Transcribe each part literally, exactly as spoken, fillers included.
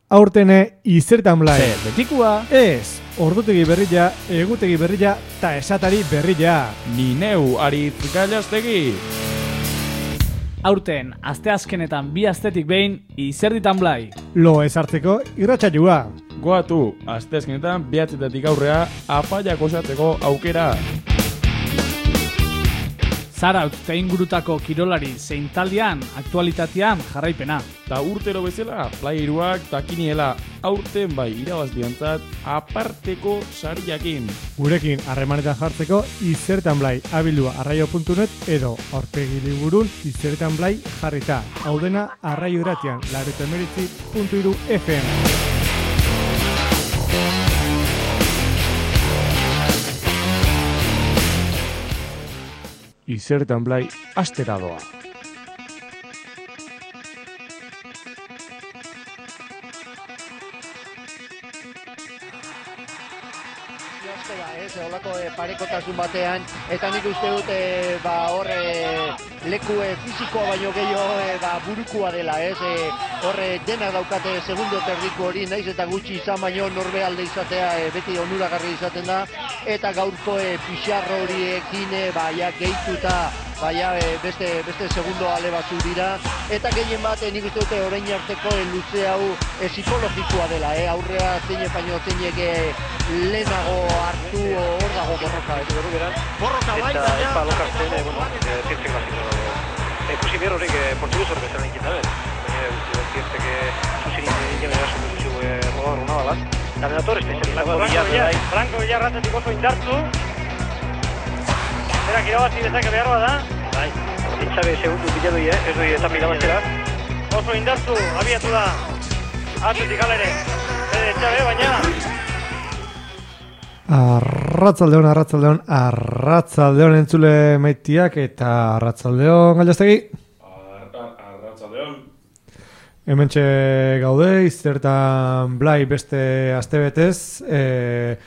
Aurtene izertan blai. Zer, betikua? Ez, ordutegi berrila, egutegi berrila, ta esatari berrila. Ni neu Aritz Gallastegi. Aurten, asteazkenetan bi astetik behin, izerditan blai. Lo ez hartzeko irratsaioa. Goatu, asteazkenetan behatzetatik aurrea, apaiak osateko aukera. Zarautz eta ingurutako kirolari zein taldean, aktualitatean jarraipena. Ta urtero bezala, playeruak ta kiniela, aurten bai irabazdiantzat aparteko sariakin. Gurekin harremanetan jartzeko izertan blai abildua arraio puntu net edo aurpegi liburun izertan blai jarrita. Hau dena arraio irratian, laurogeita hemeretzi puntu hiru F M. Izertan blai astera doa. Olako e, parekotasun batean, eta nik uste dut e, ba, hor e, leku e, fizikoa baino gehiago e, ba, burukua dela, ez? E, hor e, dena daukate segundo terdiko hori, naiz eta gutxi izan baino norbe alde izatea e, beti onuragarri izaten da, eta gaurko e, pixarro horiekin e, ba, ja, gehituta baina e, beste, beste segundo ale batzu dira, eta gehien bat e, nik uste dute orain arteko e, luze hau e, psikologikoa dela, e, aurrea zein baino zeinek e, lehenago hartu hor dago borroka, ez berru beran. Borroka bai, eta epa lokartzen, e, bueno, zirtzen gaziko dago. Ekusi behar horrek portuguz horrek bezala inkita behar. Baina, zirtzen que zuzin ingen eraso duzu rogar una balat. Eta benator, Franco Villar, Franco Villar ratetik oso indartu. Berak irabazi dezake behar da. Bai, itxabe segundu bilatu eh? Ez doi etan bilabazera. Oso indartu, abiatu da. Atletik alere. Bede itxabe, baina... Arratzaldeon, arratzaldeon, arratzaldeon entzule maitiak eta arratzaldeon Gallastegi. Arratzaldeon. Hementxe gaude, izertan blai beste astebetez, e,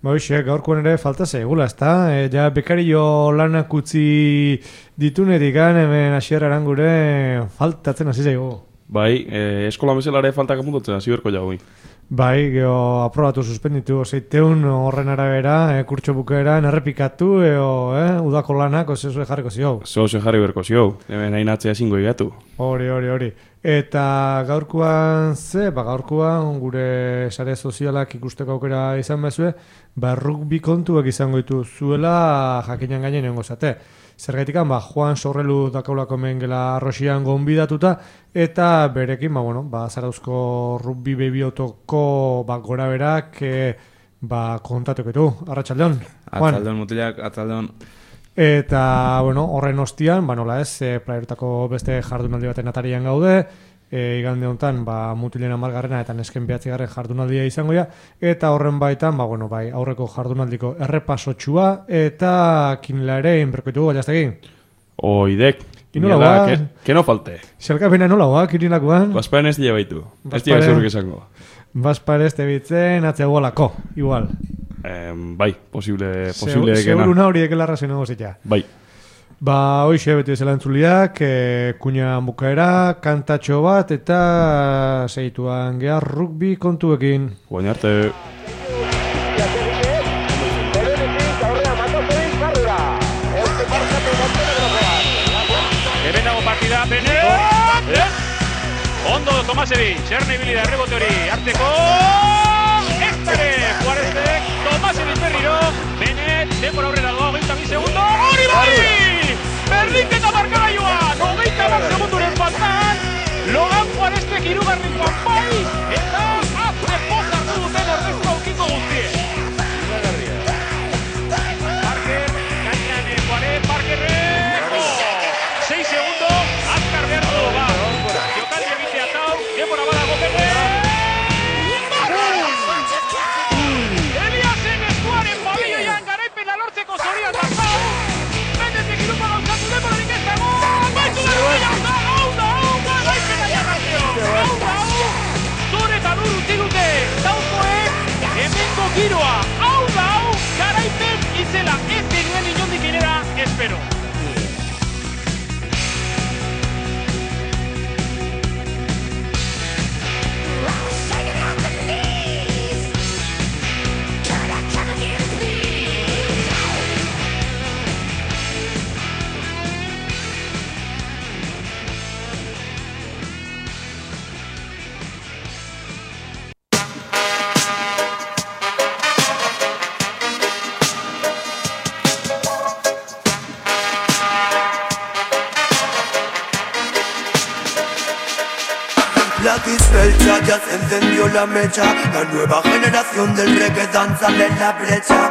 Ba, gaurkoan ere falta zegula, ezta? E, ja, bekario lanak utzi ditunetik hemen hasierran gure faltatzen hasi zaigu. Bai, e, eskola bezalare faltak apuntatzen hasi berko jagoi. Bai, geho aprobatu suspenditu zeiteun horren arabera, e, kurtso bukaeran errepikatu, eo, eh, udako lanak, ose zue jarriko zio. Zose jarri berko zio, hemen hain atzea zingo igatu. Hori, hori, hori. Eta gaurkoan ze, ba gaurkoan gure sare sozialak ikusteko aukera izan bezue, ba rugby kontuak izango ditu zuela jakinan gainen nengo zate. Zergaitikan, ba Juan Sorrelu dakaulako mengela Arrosian gonbidatuta, eta berekin, ba bueno, ba Zarauzko rugby bebiotoko ba gora berak e, ba kontatuketu. Arratsaldeon. Arratsaldeon mutilak, arratsaldeon. Eta, bueno, horren ostian, ba nola ez, e, playertako beste jardunaldi baten atarian gaude, e, igande honetan, ba, mutilen amargarrena eta nesken behatzigarren jardunaldia izango ja, eta horren baitan, ba, bueno, bai, aurreko jardunaldiko errepasotxua, eta kinela ere, inberkoitu Gallastegi. Oidek, Inola ba, que, que no falte. Xalkapena nola ba, kinilakoan? Basparen ez dira baitu, ez dira zuruk izango. Basparen ez tebitzen, atzea gualako, igual. Eh, bai, posible, posible Se, seguro una horiek elarrazen nago zitza. Bai. Ba, hoxe beti bezala entzuliak, e, kuina bukaera, kantatxo bat, eta segituan gehar rugby kontuekin. Guain arte. Hemen dago partida, bene! Ondo, Tomasevi, txerne ibili da errebote hori, arteko... Estare, Juarezek, Tomasevi berriro, bene, denbora aurrera doa, hogeita bi segundo, hori bai! Berdinketa markagailuan, hogeita bat segunduren faltan, Logan Juarezek hirugarren bai, eta azte pozartu duten ordezko aukiko guztie. Parker, gainan Juarez, Parkerrek, seis segundo, azkar behar du, ba, jokaldi egitea tau, denbora badago bene, Eliasen eskuaren balioian garaipena lortzeko zorian dazau, benetik irupa gauzatu denborarik ez dago, baitu da, hau da, hau da, hau da, garaipena jarrazio, hau da, hau, zure eta lur utzi dute, daukoek, hemengo giroa, hau da, hau, garaipen izela, ez denuen inondik inera, espero. Take it Black is belcha, ya se encendió la mecha. La nueva generación del reggae danza en la brecha.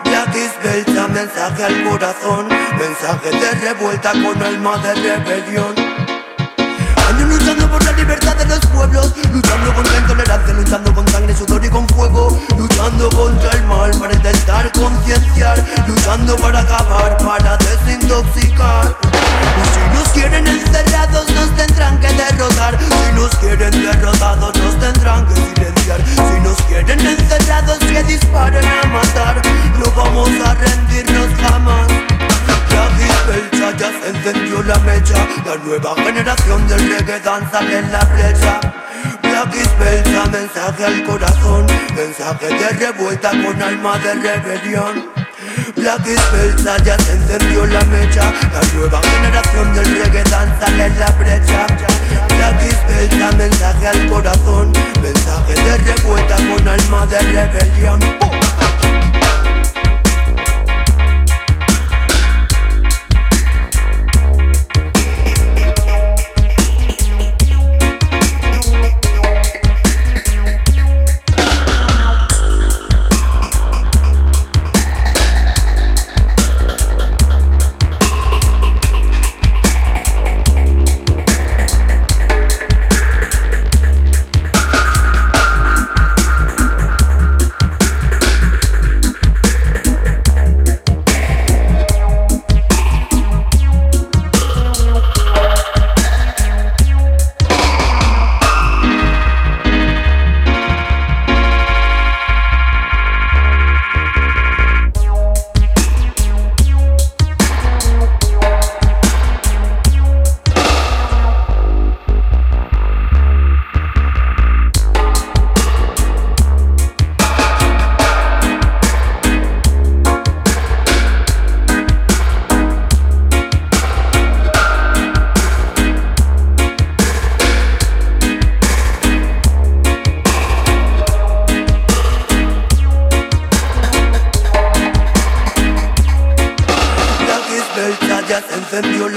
Black is belcha, mensaje al corazón. Mensaje de revuelta con alma de rebelión. Años luchando por la libertad de los pueblos, luchando contra la intolerancia, luchando con sangre, sudor y con fuego, luchando contra el mal para intentar concienciar, luchando para acabar, para desintoxicar. Si nos quieren encerrados nos tendrán que derrotar, si nos quieren derrotados nos tendrán que silenciar, si nos quieren encerrados que disparen a matar, no vamos a rendirnos jamás. Black is belcha, ya se encendió la mecha. La nueva generación del reggae danza en la brecha. Black is belcha, mensaje al corazón. Mensaje de revuelta con alma de rebelión. Black is belcha, ya se encendió la mecha. La nueva generación del reggae danza en la brecha. Black is belcha, mensaje al corazón. Mensaje de revuelta con alma de rebelión.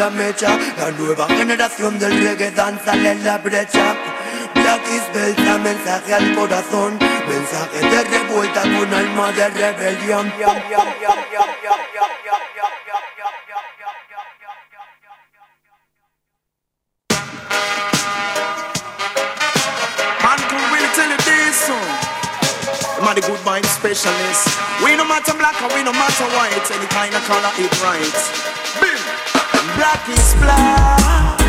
La mecha, la nueva generación del reggae danza en la brecha. Black is belcha, mensaje al corazón, mensaje de revuelta con alma de rebelión. Man, can really tell you this song? I'm the good mind specialist. We no matter black or we no matter white, any kind of color it right. Black is black,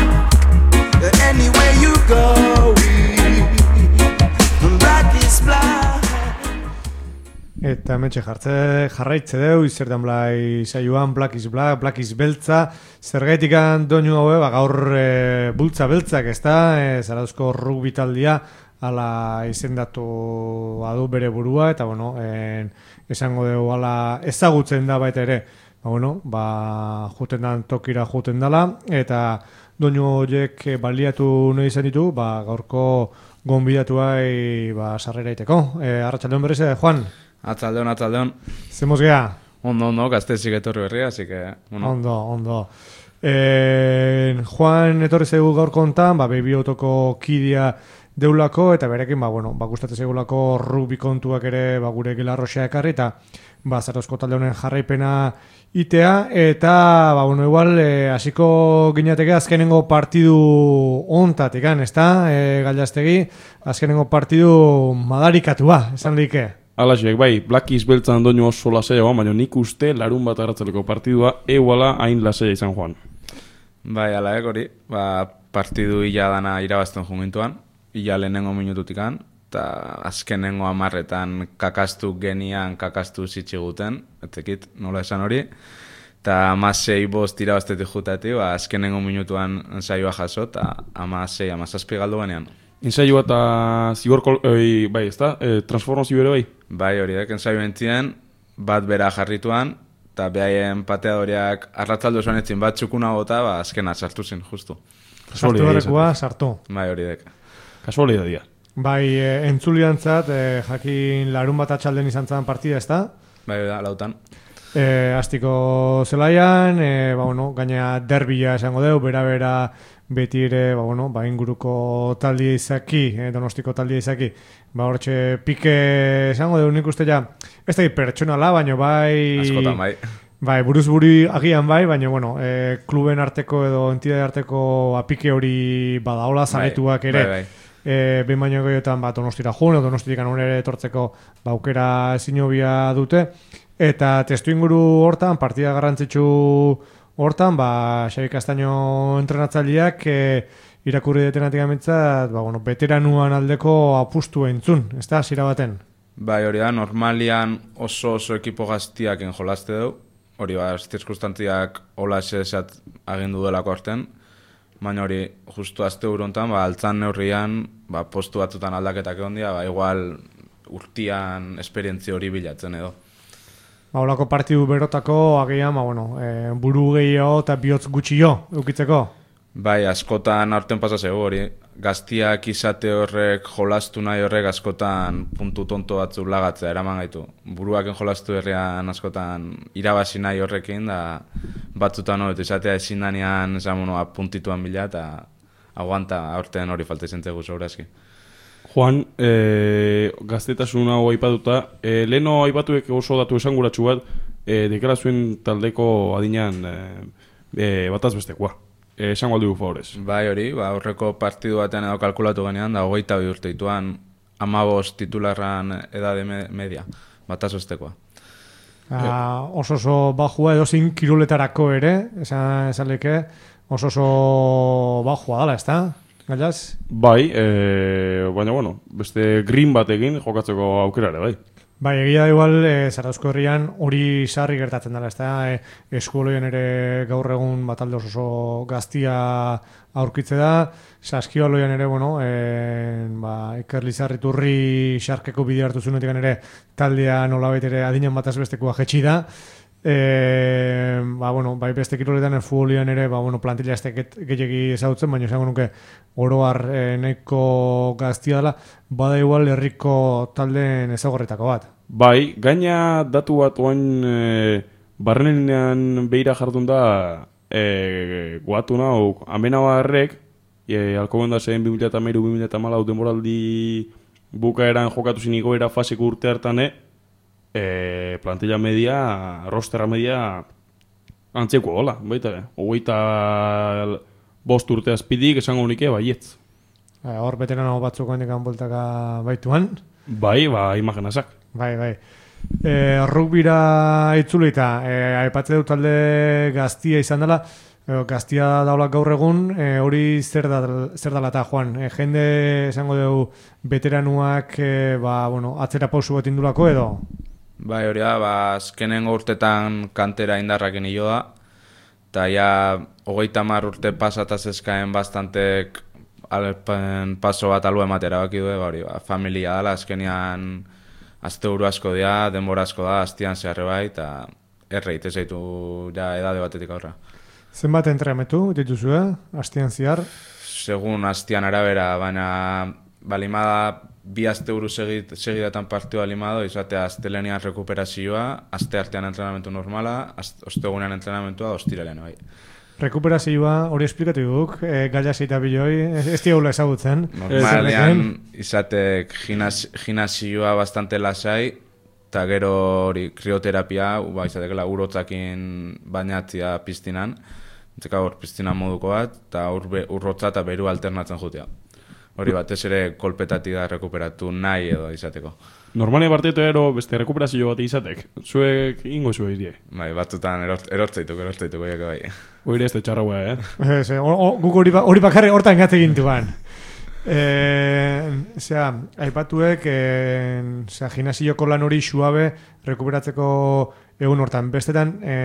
anywhere you go. Black is black. Eta metxe jartze jarraitze deu, izertan blai saioan, Black is black, Black is beltza. Zergaitikan doinu haue, ba, gaur e, bultza beltzak, ez da, e, Zarauzko rugby taldia, ala izendatu adu bere burua, eta bueno, en, esango dugu ala ezagutzen da baita ere. Ba, bueno, ba, juten dan tokira juten dala, eta doinu horiek baliatu nahi izan ditu, ba, gaurko gonbidatuai ba, sarrera iteko. E, Arratsaldeon berriz, Juan? Atzaldeon, atzaldeon. Zemoz geha? Ondo, ondo, gaztezik etorri berria, así que... Bueno. Ondo, ondo. E, Juan etorri zaigu gaur kontan, ba, Baby Autoko kidea deulako, eta berekin, ba, bueno, ba, gustatzen zaigulako rugby kontuak ere, ba, gure Gilarroxa ekarri, eta ba, Zarauzko talde honen jarraipena itea, eta, ba, bueno, igual, hasiko e, ginateke azkenengo partidu ontatik, ez da, e, Galdastegi, azkenengo partidu madarikatua, esan dike. Alaxek, bai, Black is beltzan doinu oso lasea, baina nik uste larun bat arratzeleko partidua eguala hain lasea izan joan. Bai, ala hori, ba, partidu ila dana irabazten jungintuan, ila lehenengo minututikan, eta azkenengo amarretan kakastu genian, kakastu zitsiguten, etekit, nola esan hori, eta amasei bost irabaztetik jutati, ba, azkenengo minutuan ensaioa jaso, eta amasei, amazazpi galdu banean. Ensaioa eta zigorko, oi, bai, ez da? E, transformazio bere bai? Bai, horiek, ensaio entzien, bat bera jarrituan, eta behaien pateadoriak arratzaldu zuen etzin bat txukuna gota, ba, azkena sartu zen, justu. Sartu barrekoa, sartu. Bai, horiek. Kasualitatea. Bai, e, entzuliantzat, e, jakin larun bat atxalden izan zan partida, ez da? Bai, da, lautan. E, astiko zelaian, e, ba, bueno, gaina derbila esango deu, bera-bera beti ere, ba, bueno, ba, inguruko taldia izaki, eh, Donostiko taldia izaki, ba, hortxe pike esango dugu nik uste ja, ez da pertsonala, baina bai... Askotan bai. Bai, buruz buri agian bai, baina, bueno, e, kluben arteko edo entidade arteko apike hori badaola, zaretuak ere. Bai, bai. E, behin baino gehiotan ba, Donostira jun, edo Donostitik anunere etortzeko ba, aukera zinobia dute. Eta testu inguru hortan, partida garrantzitsu hortan, ba, Xabi Castaño entrenatzaileak e, irakurri detenatik amintzat, ba, bueno, veteranuan aldeko apustu entzun, ez da, zira baten? Bai, hori da, normalian oso oso ekipo gaztiak enjolaste du, hori ba, zirkustantziak hola esat agindu delako arten, baina hori, justu azte urontan, ba, altzan neurrian, ba, postu batzutan aldaketak egon dira, ba, igual urtian esperientzia hori bilatzen edo. Ba, holako partidu berotako, agian, ba, bueno, e, buru gehiago eta bihotz gutxio, eukitzeko? Bai, askotan aurten pasazego hori, gaztiak izate horrek jolastu nahi horrek askotan puntu tonto batzu lagatzea eraman gaitu. Buruaken jolastu herrian askotan irabazi nahi horrekin, da batzutan hori, izatea ezin danean esamonoa puntituan bila, eta aguanta aurten hori falta izan zegu sobrazki. Juan, e, gaztetasun hau aipatuta, e, leheno aipatuek oso datu esanguratsu bat, e, deklarazuen taldeko adinean e, e, bataz bestekoa. E, esango aldugu favorez. Bai hori, ba, aurreko partidu batean edo kalkulatu genean, da hogeita bi urte dituan amabost titularran edade media, bataz bestekoa. Ah, oso oso bajua edo zin kiruletarako ere, esan, esan leke, oso oso bajua dala, ez da? Gallaz? Bai, e, baina bueno, beste green batekin jokatzeko aukerare, bai. Bai, egia da igual, e, Zarauzko herrian hori sarri gertatzen dela, ez da? E, eskuoloien ere gaur egun batalde oso oso gaztia aurkitze da, Saskioloian ere, bueno, e, ba, Iker Lizarriturri xarkeko bidea hartu zunetik ere taldea nolabait ere adinan bataz bestekoa jetxi da. E, ba, bueno, bai beste kiroletan futbolian ere, ba, bueno, plantilla ez gehiagi ezautzen, baina esango nuke oroar e, nahiko gaztia dela, bada igual herriko taldeen ezagorretako bat. Bai, gaina datu bat oain e, barrenean behira jardun da e, guatu nahu, amena barrek, e, alkoben da zen bi mila hamairu bi mila hamalau denboraldi bukaeran jokatu ziniko era faseko urte hartan, E, plantilla media, rosterra media antzeko gola, baita, hogeita bost urte azpidik esango unike baietz. Hor veterano batzuk handikan bultaka baituan. Bai, ba, imagenazak. Bai, bai. E, rugbira itzulita, e, aipatze dut talde gaztia izan dela, e, gaztia daula gaur egun, e, hori zer, da, zer dala eta, Juan? E, jende esango dugu veteranuak e, ba, bueno, atzera pausu bat indulako edo? Bai, hori da, ba, azkenengo urtetan kantera indarraken hilo da, eta ja, hogeita hamar urte pasataz eskaen bastantek alpen paso bat alu ematera baki du, ba, hori, ba, familia dela, azkenean azte uru asko dira, denbora asko da, aztian zeharre bai, eta erreit, ez zaitu ja edade batetik aurra. Zenbat entremetu dituzu, eh? Aztian zehar? Segun aztian arabera, baina balimada bi aste uru segidatan partioa limado, izatea astelenean rekuperazioa, aste artean entrenamentu normala, ostegunean entrenamentua, ostiralean, bai. Rekuperazioa, hori esplikatu duk, e, gaila zeita biloi, ez diaula ezagutzen. Normalean, izatek gimnasioa bastante lasai, eta gero hori krioterapia, ba, izatekela urotzakin bainatzia piztinan, entzeka hor piztinan moduko bat, eta urrotza eta beru alternatzen jutea. Hori batez ere kolpetatik da rekuperatu nahi edo izateko. Normalen bartetu ero beste rekuperazio bat izatek. Zuek ingo zuek die. Bai, batzutan erortzaituk, erortzaituk, bai, bai. Hori ez da txarraua, eh? Ez, guk hori bakarri hortan gate gintuan. Zea, aipatuek, zea, gimnasioko lan hori suabe rekuperatzeko egun hortan. Bestetan, e,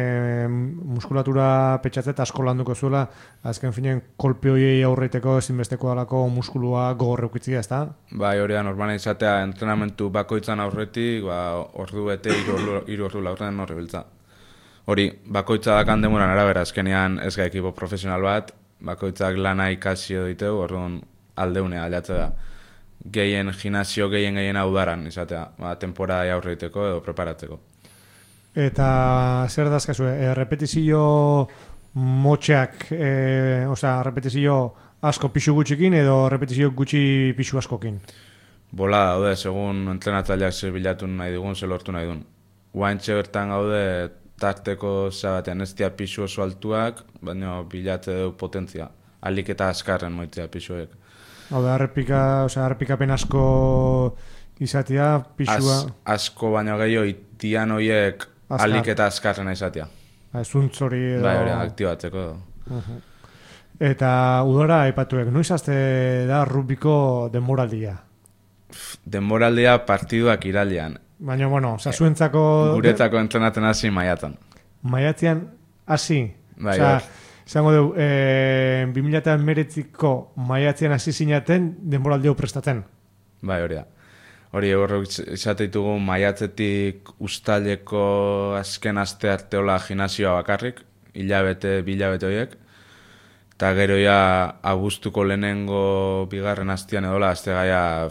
muskulatura petxatzet asko landuko zuela, azken finen kolpe horiei aurreiteko ezinbesteko dalako muskulua gogorreukitzia, ez da? Bai, hori da, normalen izatea entrenamentu bakoitzan aurretik, ba, ordu bete, hiru ordu laurren horre biltza. Hori, bakoitza dakan demoran arabera, azkenean ez ga ekipo profesional bat, bakoitzak lana ikasi edo diteu, orduan aldeunea aldatze da. Gehien gimnasio, gehien gehien audaran, izatea, ba, temporada aurreiteko edo preparatzeko. Eta zer dazkazu, e, repetizio motxeak, e, osea, repetizio asko pixu gutxikin edo repetizio gutxi pixu askokin? Bola daude, segun entrenatzaileak ze bilatu nahi digun, ze lortu nahi duen. Guaintxe bertan gaude tarteko zabatean, ez dia pixu oso altuak, baina bilate du potentzia. Alik eta azkarren moitzea pixuek. Hau da, errepika, osea, errepikapen asko izatea, pixua... Az, asko baino gehiago itian horiek Azkar. alik eta azkarrena izatea. Ba, zuntz hori edo... Bai, hori, aktibatzeko. Uh-huh. Eta udara aipatuek, noiz azte da rugbiko denboraldia? Denboraldia partiduak irailean. Baina, bueno, oza, zuentzako... Guretzako entrenaten hasi maiatan. Maiatzean hasi? Bai, Oza, hor. zango dugu, e, bi mila hemeretziko maiatzean hasi zinaten denboraldio prestatzen? Bai, hori da. Hori horrek izateitugu maiatzetik uztaileko azken aste arteola gimnasioa bakarrik, hilabete, bilabete horiek, eta gero ja abuztuko lehenengo bigarren astean edola, azte gaia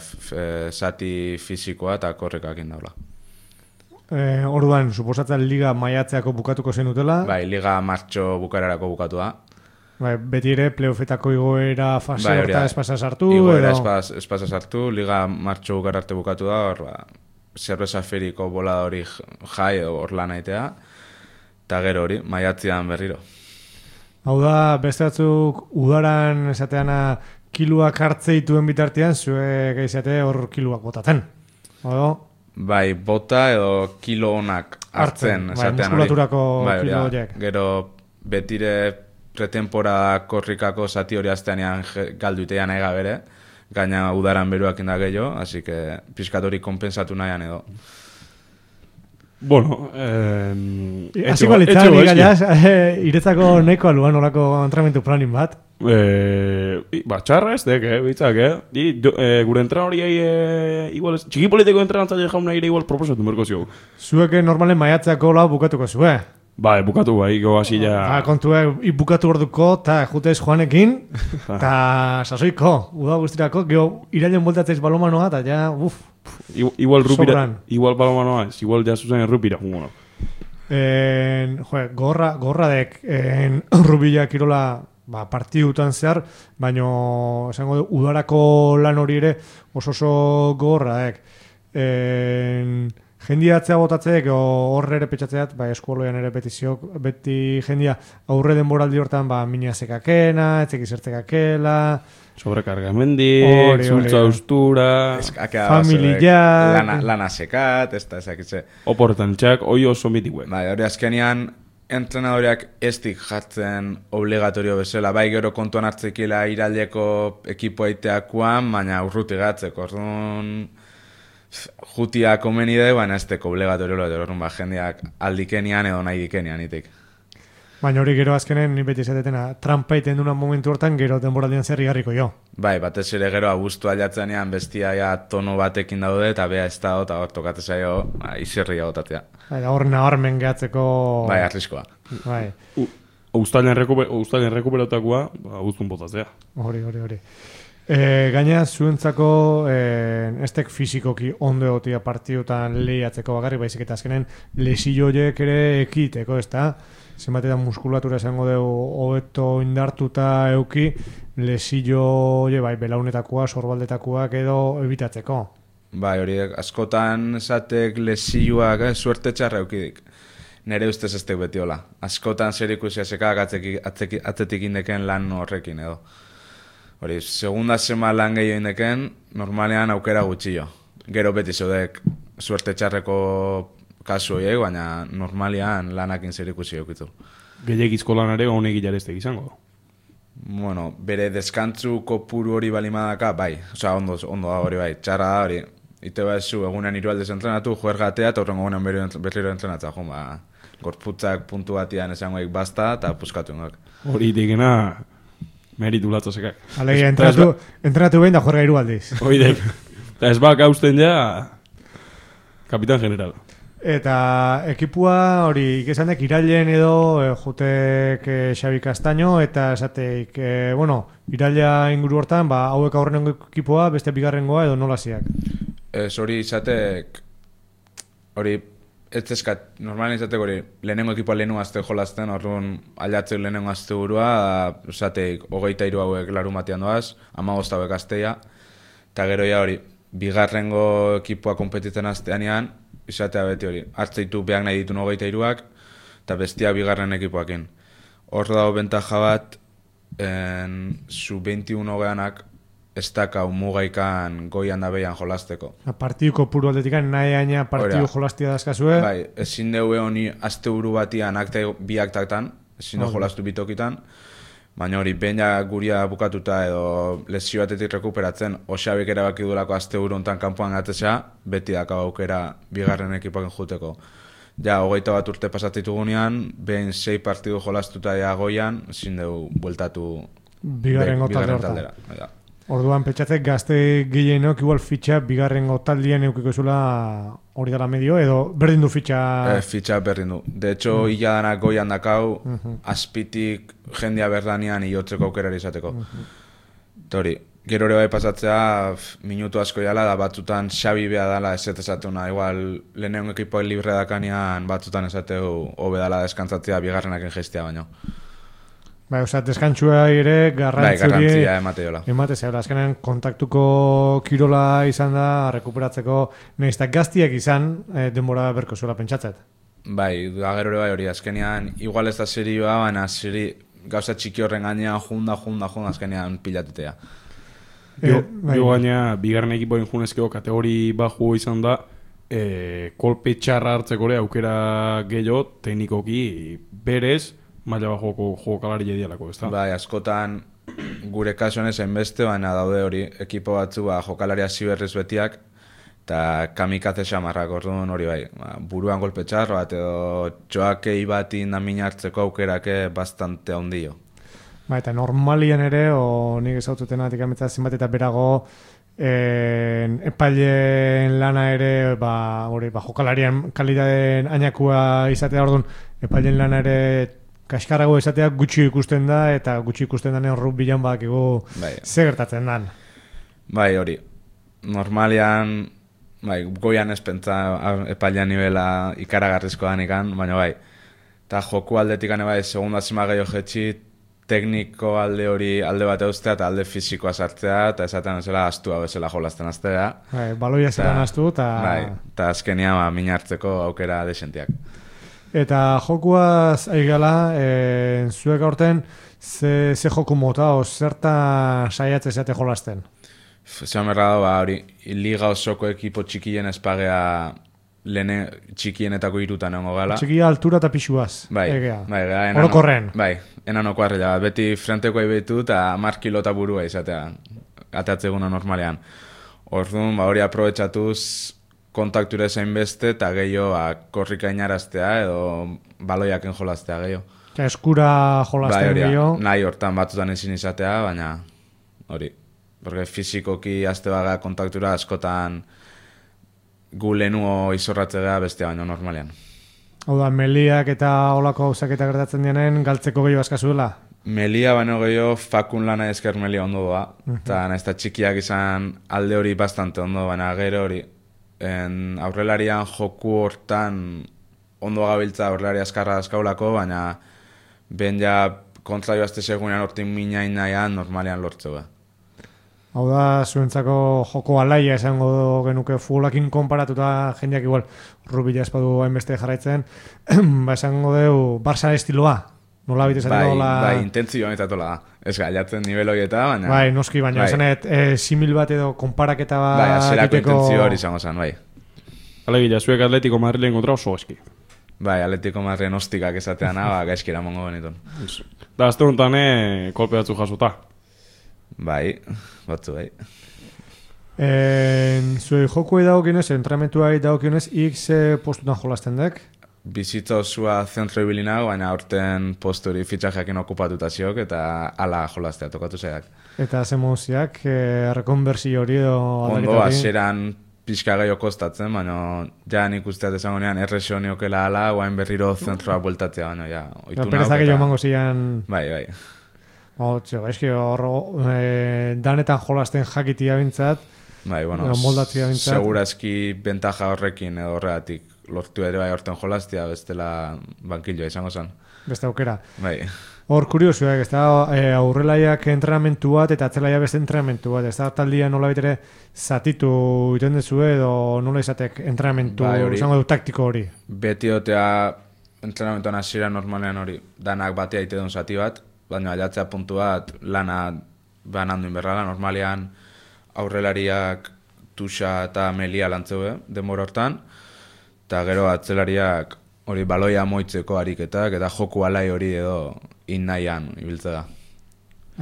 zati fisikoa eta korrekakin daula. E, orduan, suposatzen liga maiatzeako bukatuko zenutela? Bai, liga martxo bukararako bukatu da. Bai, beti ere, playoffetako igoera fase Bai, horta espasa sartu? Igoera edo... espaz, espasa sartu, liga martxo bukar arte bukatu da, hor, ba, zerbeza feriko bola hori jai edo hor lan aitea, eta gero hori, maiatzean berriro. Hau da, beste batzuk udaran esateana kiluak hartzeituen bitartean, zuek izate hor kiluak botaten. Odo? Bai, bota edo kilo onak hartzen, Bai, esatean muskulaturako Bai, kilo hori, horiek. Gero betire pretemporada korrikako zati hori azteanean galduitean ega bere, gaina udaran beruak inda gehiago, así que pizkat hori kompensatu nahian edo. Bueno, eh... Hasiko litzan, igaiaz, iretzako neko aluan olako entrenamentu planin bat. Eh, ba, txarra ez dek, eh, bitzak, eh? Di, do, eh gure entran hori eh, igual, txiki politiko entrenatzaile jauna ere igual proposatu merko zio. Zueke normalen maiatzeako lau bukatuko zue. Ba, bukatu bai, go hasi ja... Ba, kontue, bukatu orduko, eta jutez Juanekin, eta sasoiko, uda guztirako, geho, irailen voltatzeiz balomanoa, eta ja, uff, igual rupira, sobran. igual balomanoa ez, igual ja zuzen errupira, jungo. En, jo, gorra, gorra dek, en, rubila kirola, ba, partidutan zehar, baino, esango du, udarako lan hori ere, oso oso gorra dek. En, jendia atzea botatzeek, horre ere petxatzeat, ba, eskualoian ere petiziok, beti jendia aurre denboraldi hortan, ba, mina zekakena, etzek izertzekakela... Sobrekargamendi, Hori, zultza hori. ustura... Familia... Lana, lana sekat, ez da ezakitze. Oporretan txak, oi oso mitikuen. Bai, hori azkenean, entrenadoreak ez dik jartzen obligatorio bezala, bai gero kontuan hartzekila iraileko ekipo aiteakuan, baina urruti gatzeko, orduan... Jutia komeni da, baina ez teko obligatorio lo orduan, ba, jendeak aldikenian edo nahi dikenian itik. Baina hori gero azkenen, ni beti zatetena, trampa iten dunan momentu hortan, gero denboraldian zer igarriko jo. Bai, batez ere gero abuztu alatzenean bestia ja tono batekin daude, eta bea ez da, eta hor tokate zaio, ba, izerri agotatea. Bai, da hor nabarmen gehatzeko... Bai, arriskoa. Bai, Uztailen rekuperatakoa, ba, guztun botatzea. hori, hori, hori. E, gaina zuentzako e, estek fizikoki ondo egotia partidutan lehiatzeko bakarrik, baizik eta azkenen lesioiek ere ekiteko, ez da? Zenbatetan muskulatura esango dugu hobeto indartuta euki, lesio bai, belaunetakoa, sorbaldetakoak edo ebitatzeko. Bai, hori askotan esatek lesioak eh, suerte txarra eukidik. Nere ustez ez tek beti hola. Askotan zer ikusia sekak atzetik indeken lan horrekin edo. Hori, segunda sema lan gehiago indeken, normalean aukera gutxillo. Gero beti zeudek suerte txarreko kasu horiek, baina normalian lanakin zer ikusi eukitu. Gehiagizko lanare honek ilareztek izango. Bueno, bere deskantzu kopuru hori balimadaka, bai. Osa, ondo, ondo da hori bai, txarra da hori. Ite ba zu, egunean hirualdez entrenatu, juergatea, eta horrengo egunean berriro entrenatza, jo, ba, gorputzak puntu batian esangoik basta, eta puskatu ingak. Hori itekena... Meritu latzo sekak. Alegia, entrenatu, entrenatu behin da juerga hirualdiz. Oidek. Eta ez bak hausten ja... Kapitan general. Eta ekipua hori ikesanek irailen edo e, jotek e, Xabi Castaño eta esateik, e, bueno, iraila inguru hortan, ba, hauek aurrenengo ekipoa, beste bigarrengoa edo nola ziak. Ez hori izatek, hori ez eskat, normalen izateko hori, lehenengo ekipoa lehenengo azte jolazten, orduan aldatzeu lehenengo azte burua, esateik, hogeita hiru hauek larumatean doaz, hamabost hauek azteia, eta gero ja hori, bigarrengo ekipoa konpetitzen azteanean, izatea beti hori, hartzeitu behar nahi ditun hogeita hiruak, eta bestia bigarren ekipoakin. Hor dago bentaja bat, zu veintiuno hogeanak, ez dakau mugaikan goian da behian jolazteko. Partiduko puru aldetikan nahi aina partidu jolaztia dazkazue? Bai, ezin deue honi azte buru batian akte bi aktaktan, ezin du jolaztu bitokitan, baina hori, behin ja guria bukatuta edo lesio batetik rekuperatzen, Oxabik erabaki duelako azte buru ontan kanpoan gatezea, beti dakau aukera bigarren ekipoaken juteko. Ja, hogeita bat urte pasatzitugunean, behin sei partidu jolaztuta ja goian, ezin dugu bueltatu bigarren taldera. Orduan, petxatzek gazte gehienok igual fitxa bigarrengo taldean eukiko zula hori dara medio, edo berdin du fitxa... E, fitxa berdin du. De hecho, mm. illa danak goian dakau, uh -huh. azpitik jendia berdanean iotzeko aukerari izateko. Uh -huh. Tori, gero ere bai pasatzea, minutu asko jala, da batzutan Xabi beha dala eset esatuna. Igual, lehenengo ekipoa libre dakanean batzutan esateu hobe dala deskantzatzea bigarrenaken gestia baino. Bai, oza, deskantzua ere garrantzuri... Bai, garrantzia emate jola. Emate zela, azkenean kontaktuko kirola izan da, rekuperatzeko nahiztak gaztiak izan, e, denbora berko zuela pentsatzet. Bai, gero ere bai hori, azkenean, igual ez da serioa, baina seri, gauza txiki horren gainean, junda, junda, junda, azkenean pilatutea. Jo, bai. Jo gaina, bigarren ekipoen junezkeo kategori baju izan da, e, kolpe txarra hartzeko ere aukera gehiago, teknikoki berez, maila bajoko jokalari jedialako, ez da? Bai, askotan gure kasuan ezen beste, baina daude hori ekipo batzu ba, jokalari hasi berriz betiak, eta kamikaze xamarrak orduan hori bai, ba, buruan golpe txarro bat edo txoakei bati namin hartzeko aukerake bastante ondio. Ba, eta normalian ere, o nik ezaututen atik ametza zenbat eta berago, en, epaileen lana ere, ba, hori, ba, jokalarian kalitateen ainakoa izatea orduan, epaileen lana ere kaskarrago esatea gutxi ikusten da, eta gutxi ikusten danean rugbian bakigu bai. Ze gertatzen dan. Bai, hori. Normalian, bai, goian espentza epailean nivela ikaragarrizko danikan, baina bai. Eta joku aldetik ane bai, segunda zima gehiago jetxi, tekniko alde hori alde bat eustea, eta alde fizikoa sartzea, eta esaten zela astua bezala jolazten aztea. Bai, baloia zelan astu, eta... Bai, eta azkenia ba, min hartzeko aukera desentiak. Eta jokuaz aigala, e, zuek aurten, ze, ze joku mota, o zerta saiatze zeate jolazten? Zean berra da, ba, hori, liga osoko ekipo txikien espagea lehene txikienetako irutan egongo gala. Txikia altura eta pixuaz, bai, egea. Bai, bai, orokorren. Bai, enanoko arrela, beti frenteko aibetu eta mar kilota burua izatea, atatzeguna normalean. Orduan, ba, hori aprobetxatuz, kontakture zein beste eta gehiago ba, korrika inaraztea edo baloiaken jolaztea gehiago. Eta eskura jolazten bai, gehiago. Nahi hortan batzutan ezin izatea, baina hori. Porque fizikoki azte baga kontaktura askotan gu lehenuo izorratzea bestea baino normalean. Hau da, meliak eta olako gauzak eta gertatzen dienen galtzeko gehiago askazuela? Melia baino gehiago fakun lana esker melia ondo doa. Eta uh-huh. Naizta txikiak izan alde hori bastante ondo, baina gero hori en aurrelarian joku hortan ondo gabiltza aurrelari askarra askaulako, baina ben ja kontra joazte segunean hortin minain nahian normalean lortzeu da. Hau da, zuentzako joko alaia esango genuke futbolakin konparatuta jendeak igual rubila espadu hainbeste jarraitzen, ba esango deu Barça estiloa, nola bit esateko bai, la... Bai, intentzio honetatola da. Ez gaiatzen nivel horieta, baina... Bai, noski, baina bai. Esanet, e, simil bat edo konparaketa bat... Bai, azerako intentzio hori izango zen, bai. Alegila, zuek Atletico Madrilen kontra oso eski. Bai, Atletico Madrilen ostikak esatean, ba, gaizkira mongo benitun. Da, azte honetan, eh, kolpe batzu jasuta. Bai, batzu, bai. En, zue jokuei dagokionez, entramentuai dagokionez, X postutan jolasten dek? Bizitza osua zentro ibilinago, baina aurten posturi fitxajeakin okupatuta ziok, eta ala jolaztea tokatu zeak. Eta ze moziak, e, rekonversio hori edo... Ondo, aseran pixka gehiago kostatzen, baina ja nik usteat esango nean erresio niokela ala, guain berriro zentroa bueltatzea, baina ja, oitu nauk. Perezak eta... mango zian... Bai, bai. Oh, txo, eski hor, e, danetan jolasten jakitia bintzat, bai, bueno, moldatzia bintzat. Segurazki bentaja horrekin edo horregatik lortu ere bai horten jolastia, bestela bankilloa izango zen. Beste aukera. Bai. Hor, kuriosuak, ez da, e, aurrelaiak entrenamentu bat eta atzelaia beste entrenamentu bat, ez da, taldia nola bitere zatitu iten dezu edo nola izatek entrenamentu, Bai, hori. izango du taktiko hori. Beti otea entrenamentuan hasiera normalean hori, danak batea ite duen zati bat, baina aiatzea puntu bat lana banandu inberrala, normalean aurrelariak Tuxa eta Melia lantzeue, denbora hortan, eta gero atzelariak hori baloia moitzeko ariketak, eta joku alai hori edo innaian ibiltze da.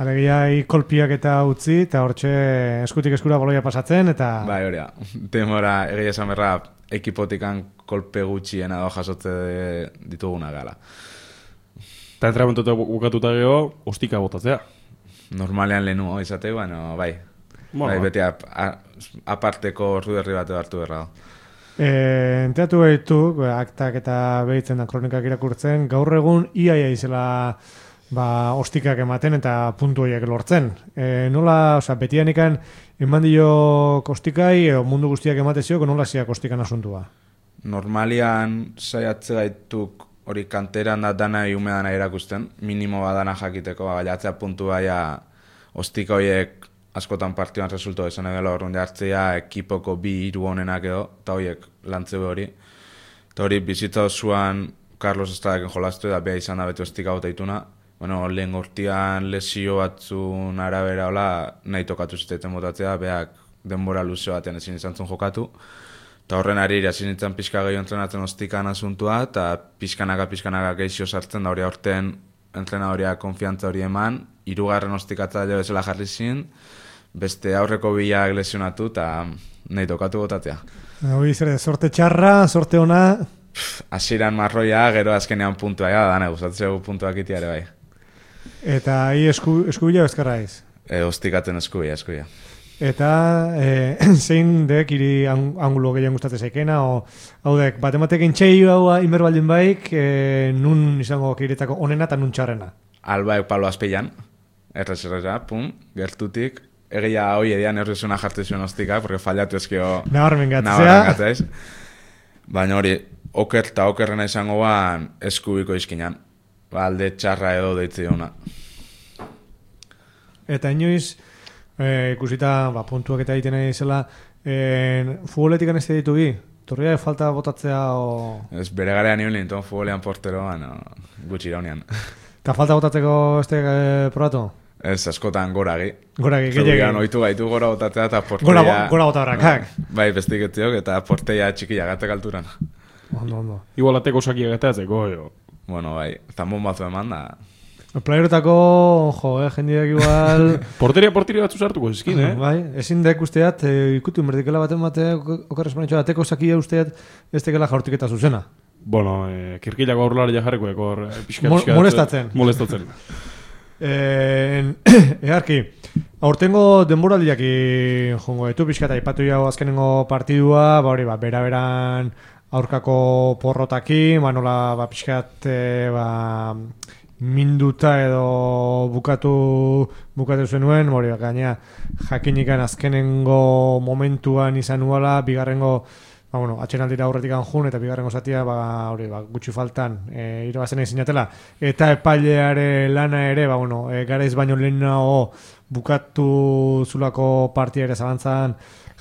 Alegia, kolpiak eta utzi, eta hortxe eskutik eskura baloia pasatzen, eta... Bai, hori da. Demora, egia esan berra, ekipotikan kolpe gutxien edo jasotze dituguna gala. Eta entrenamentu bukatuta geho, ostika botatzea. Normalean lehenu izateu, baina bai. Bueno, bai, beti ap, a, aparteko orduerri bat hartu berra da. E, enteatu behitu, aktak eta behitzen da kronikak irakurtzen, gaur egun iaia izela ba, ostikak ematen eta puntu horiek lortzen. E, nola, oza, betianikan eman dio kostikai, edo mundu guztiak ematezio, nola ziak kostikan asuntua? Normalian saiatze gaituk hori kanteran da dana iumedana erakusten, minimo badana jakiteko, baiatzea puntu baia ostika horiek askotan partioan resulto izan egela horrunde hartzea ekipoko bi hiru honenak edo, eta horiek lantzeu hori. Eta hori bizitza osoan Carlos Estradaken jolastu da beha izan da beti ostika bota ituna. Bueno, lehen gortian lesio batzun arabera hola nahi tokatu ziteten botatzea, beak denbora luze batean ezin izan zuen jokatu. Eta horren ari irasin nintzen pixka gehiago entrenatzen ostikan asuntua, eta pixkanaka pixkanaka geixio sartzen da hori aurten entrenadoria konfiantza hori eman, hirugarren ostikatzaile bezala jarri zin, beste aurreko bilak lesionatu eta nahi tokatu botatzea. Hori zer, sorte txarra, sorte ona... Hasieran marroia, gero azkenean puntua, ja, dane, gustatzeu puntuak iti ere bai. Eta hi esku, eskubila bezkarra iz? E, ostikatzen eskubila, eskubila. Eta e, zein dek iri angulo gehien gustatzen zaikena, o hau dek, bat ematek intxeio hau inber baldin baik, e, nun izango kiretako onena eta nun txarrena? Albaek palo azpeian, errez erreza, pum, gertutik, egia hoi edian errezuna jartu zuen ostika, porque fallatu ezkio... Nabarmen gatzea. Baina hori, oker eta okerrena izango ban eskubiko izkinan. Ba, alde txarra edo deitzi ona. Eta inoiz, e, ikusita ba, puntuak eta egiten izela, e, futboletik anezte ditugi? Torria falta botatzea o... Ez bere garean nion linton futbolean portero, bueno, gutxi iraunean. Eta falta botatzeko este e, probatu? Ez, askotan goragi. Goragi, gehiagin. Zegoian oitu gaitu gora botatzea eta porteia... Gora, gora botarrakak. Bai, bestiketziok eta porteia txikia gatek alturan. Ondo, ondo. Igual ateko sakia gatatzeko, jo. Bueno, bai, zambon batzu eman da. Playerotako, jo, eh, jendeak igual... Porteria, porteria batzu sartuko zizkin, eh? Bai, ezin dek usteat, e, ikutu inberdikela baten bate, okarrez manetxoa, ateko sakia usteat, ez tekela jaurtiketa zuzena. Bueno, eh, kirkilako aurrelari jarreko, ekor, eh, pixka, Mol, pixka... Molestatzen. Molestatzen. Eh, eharki, aurtengo denboraldiak jongo etu pixka eta ipatu jau azkenengo partidua, ba hori, ba, bera-beran aurkako porrotaki, ba nola, ba, pixkat, e, ba, minduta edo bukatu bukatu zenuen, hori, ba, gaina jakinikan azkenengo momentuan izan nuala, bigarrengo ba, bueno, atxenaldira aurretik anjun eta bigarrengo zatia ba, hori, ba, gutxi faltan e, irabazen egin zinatela eta epaileare lana ere ba, bueno, e, garaiz baino lehenago bukatu zulako partia ere zabantzan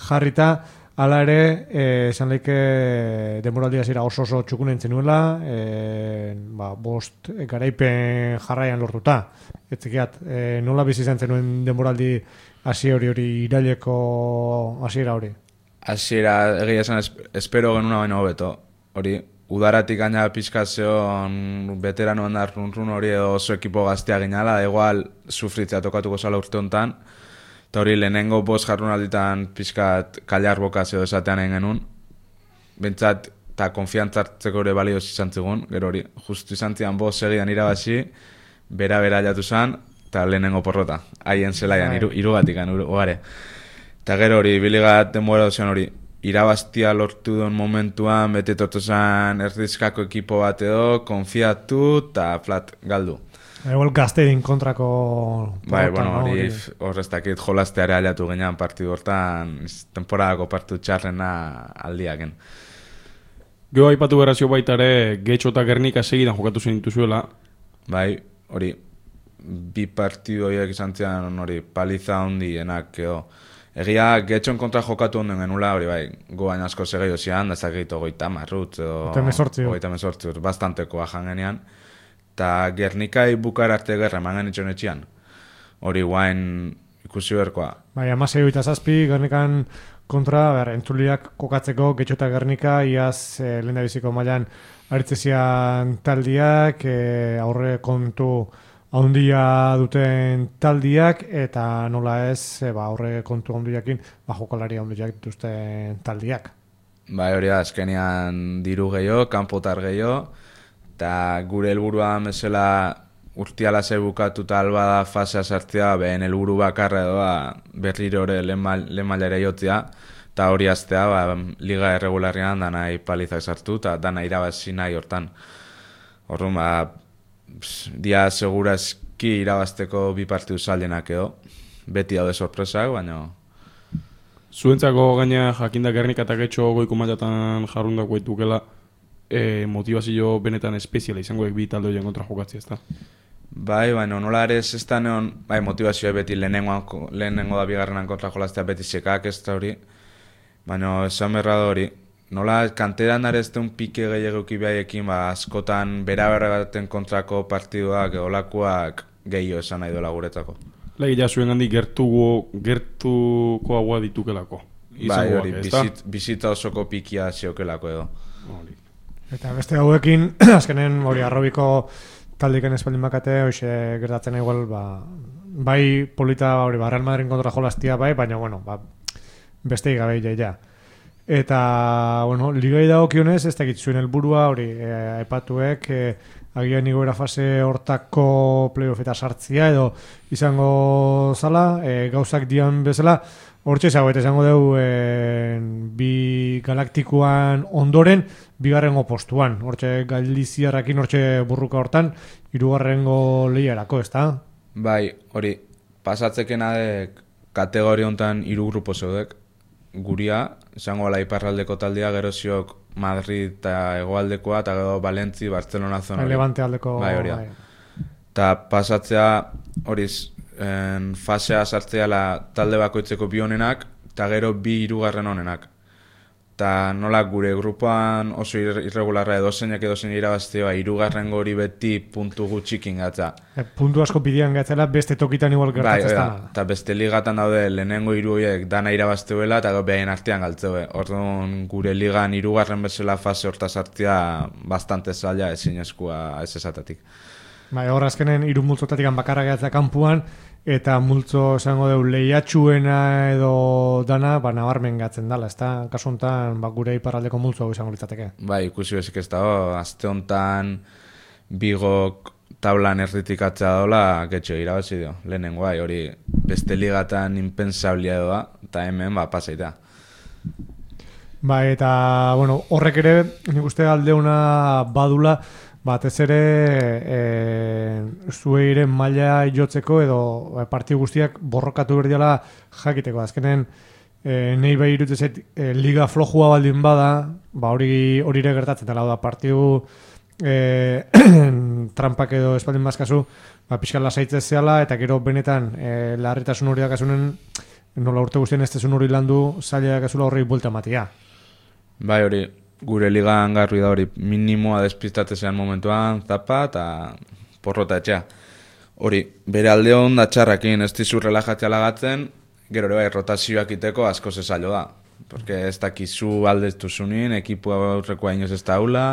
jarrita hala ere, e, esan leike denboraldia zira oso oso txukunen zenuela e, ba, bost e, garaipen jarraian lortuta etzikiat, e, nola bizi izan zenuen denboraldi hasi hori hori iraileko hasiera hori? Hasiera egia esan espero genuna baino hobeto. Hori, udaratik gaina pizkazion veteranoen da run-run hori edo oso ekipo gaztea ginala, igual sufritzea tokatuko zala urte honetan. Eta hori, lehenengo bost jarrunalditan pizkat kaliar bokazio esatean egin genuen. Bentsat, eta konfiantzartzeko ere balioz izan zigun, gero hori, justu izan zian bost segidan irabazi, bera-bera jatu zen, eta lehenengo porrota. Haien zelaian, iru, irugatikan, ugare. Eta gero hori, biligat denbora dozian hori, irabaztia lortu duen momentuan, bete tortu zen erdizkako ekipo bat edo, konfiatu eta flat galdu. Igual gazterin kontrako... Bai, bueno, hori horreztakit jolasteare aliatu ginean partidu hortan, temporadako partidu txarrena aldiaken. Gero aipatu berazio baita ere, Getxo eta Gernika segidan jokatu zen dituzuela. Bai, hori, bi partidu horiek izan zian hori, paliza handienak, edo. Egia, Getxon kontra jokatu onden genula, hori bai, goain asko segei zian, da zakeitu goita marrut, edo... Goita mesortzi, bastantekoa jangenean. Eta Gernikai bukara arte gerra eman genitxon etxian. Hori guain ikusi berkoa. Bai, amasei oita zazpi, Gernikan kontra, ber, entzuliak kokatzeko, Getxo eta Gernika, iaz eh, lehen da biziko mailan aritzezian taldiak, eh, aurre kontu handia duten taldiak, eta nola ez, e, ba, aurre kontu handiakin, ba, jokalari handiak dituzten taldiak. Bai, hori da, azkenean diru gehiago, kanpotar gehiago, eta gure helburua mesela urtiala ze bukatuta alba da fasea sartzea, behen helburu bakarra edo ba, berriro ere lehen mailera jotzea, eta hori aztea ba, liga erregularrean dana palizak sartu, eta dana irabazi nahi hortan. Horren, ba, dia segurazki irabazteko bi partidu zailenak edo, beti daude sorpresak, baina... Zuentzako gaina jakinda Gernika eta Getxo goiko mailatan jarrundako eitukela, e, motivazio benetan espeziala izangoek bi talde horien kontra jokatzea, ezta? Bai, baina nola ere ez da neon, bai, motivazioa beti lehenengo, lehenengo da bigarrenan kontra jolaztea beti sekak ez da hori, baina esan berra da hori, nola kanteran ere ez da un pike gehiagoki behaiekin, ba, askotan bera-bera baten kontrako partiduak, olakoak gehiago esan nahi dola guretzako. Legia zuen handi gertuko, gertuko agua ditukelako. Bai, hori, bizit, bizita osoko pikia ziokelako edo. Hori. Eta beste hauekin, azkenen hori arrobiko taldiken espaldin bakate, hoxe gertatzen igual, ba, bai polita hori, ba, Real Madrid kontra jolaztia bai, baina, bueno, ba, beste igabe ja. Eta, bueno, ligai dagokionez, ez dakit zuen helburua hori, e, aipatuek, e, agian igoera fase hortako playoff eta sartzia edo izango zala, e, gauzak dian bezala, hortxe zago, eta izango dugu e, bi galaktikoan ondoren, bigarrengo postuan, hortxe galdiziarrakin, hortxe burruka hortan, hirugarrengo lehiarako, ez da? Bai, hori, pasatzekena de kategori hontan hiru grupo zeudek, guria, izango ala iparraldeko taldea, gero ziok Madrid eta hegoaldekoa, eta gero Valentzi, Barcelona zona. Levante aldeko. Bai, hori da. Eta pasatzea, hori, fasea sartzea la talde bakoitzeko bi honenak, eta gero bi hirugarren honenak. Eta nola gure grupoan oso irregularra edo zeinak edo zeinak irabaztea, hirugarren hori beti puntu gutxikin gatza. E, puntu asko pidian gatzela, beste tokitan igual gertatzen bai, eta beste ligatan daude lehenengo hiru horiek dana irabazteuela eta behin artean galtzeue. Orduan gure ligan hirugarren bezala fase horta sartzea bastante zaila ezinezkoa ez esatatik. Bai, hor azkenen hiru multzotatik bakarra gehatzea kanpuan, eta multzo esango deu lehiatxuena edo dana, ba, nabarmen gatzen dala, ez da? Kasu honetan, ba, gure iparraldeko multzo izango litzateke. Bai, ikusi bezik ez dago, azte honetan bigok tablan erditik atzea dola, Getxo irabazi dio, lehenengo bai, hori beste ligatan impensablia doa, eta hemen, ba, pasaita. Bai, eta, bueno, horrek ere, nik uste aldeuna badula, batez ere e, zueiren maila jotzeko edo e, partidu guztiak borrokatu berdiala jakiteko. Azkenen e, nahi bai irutzezet e, liga flojua baldin bada, ba hori hori ere gertatzen dela da partidu e, trampak edo espaldin bazkazu, ba pixkan lasaitzez zehala eta gero benetan e, larritasun hori dakasunen nola urte guztien ez tezun hori landu zaila dakazula horrei buelta matia. Bai hori, gure ligan garri da hori minimoa despistatzean momentuan, zapa eta porrota etxea. Hori, bere alde hon da txarrakin, ez dizu relajatzea lagatzen, gero ere bai, rotazioak iteko asko zezailo da. Porque ez dakizu aldeztu zunien, ekipua aurrekoa inoz ez da hula,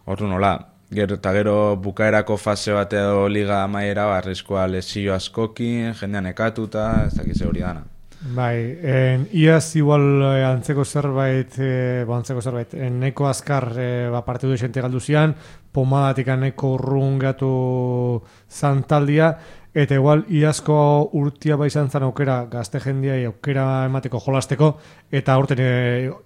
hor nola. Gero eta gero bukaerako fase bat edo liga maiera, arriskoa lesio askokin, jendean ekatuta, ez dakize hori dana. Bai, en, iaz igual eh, antzeko zerbait, eh, ba, antzeko zerbait, en, neko azkar eh, ba, partidu esente galdu zian, pomadatik neko urrungatu zantaldia, eta igual iazko urtia ba izan zan aukera, gazte jendia aukera emateko jolasteko, eta aurten e,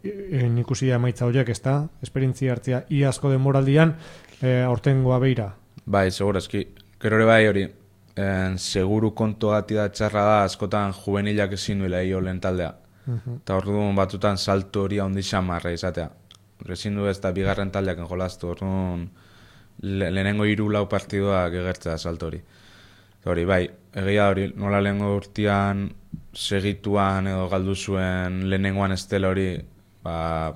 e, ikusi emaitza horiek, ez da? Esperientzia hartzia iazko denboraldian, e, aurtengoa beira. Bai, segurazki, gero ere bai hori, En, seguru kontu gati da txarra da askotan juvenilak ezin duela hio lehen taldea. Eta uh-huh. Orduan batutan salto hori handi xamarra izatea. ezin du ez da bigarren taldeak jolastu, orduan le, lehenengo hiru lau partiduak egertzea salto hori. Hori, bai, egia hori, nola lehengo urtean segituan edo galdu zuen lehenengoan estela hori, ba,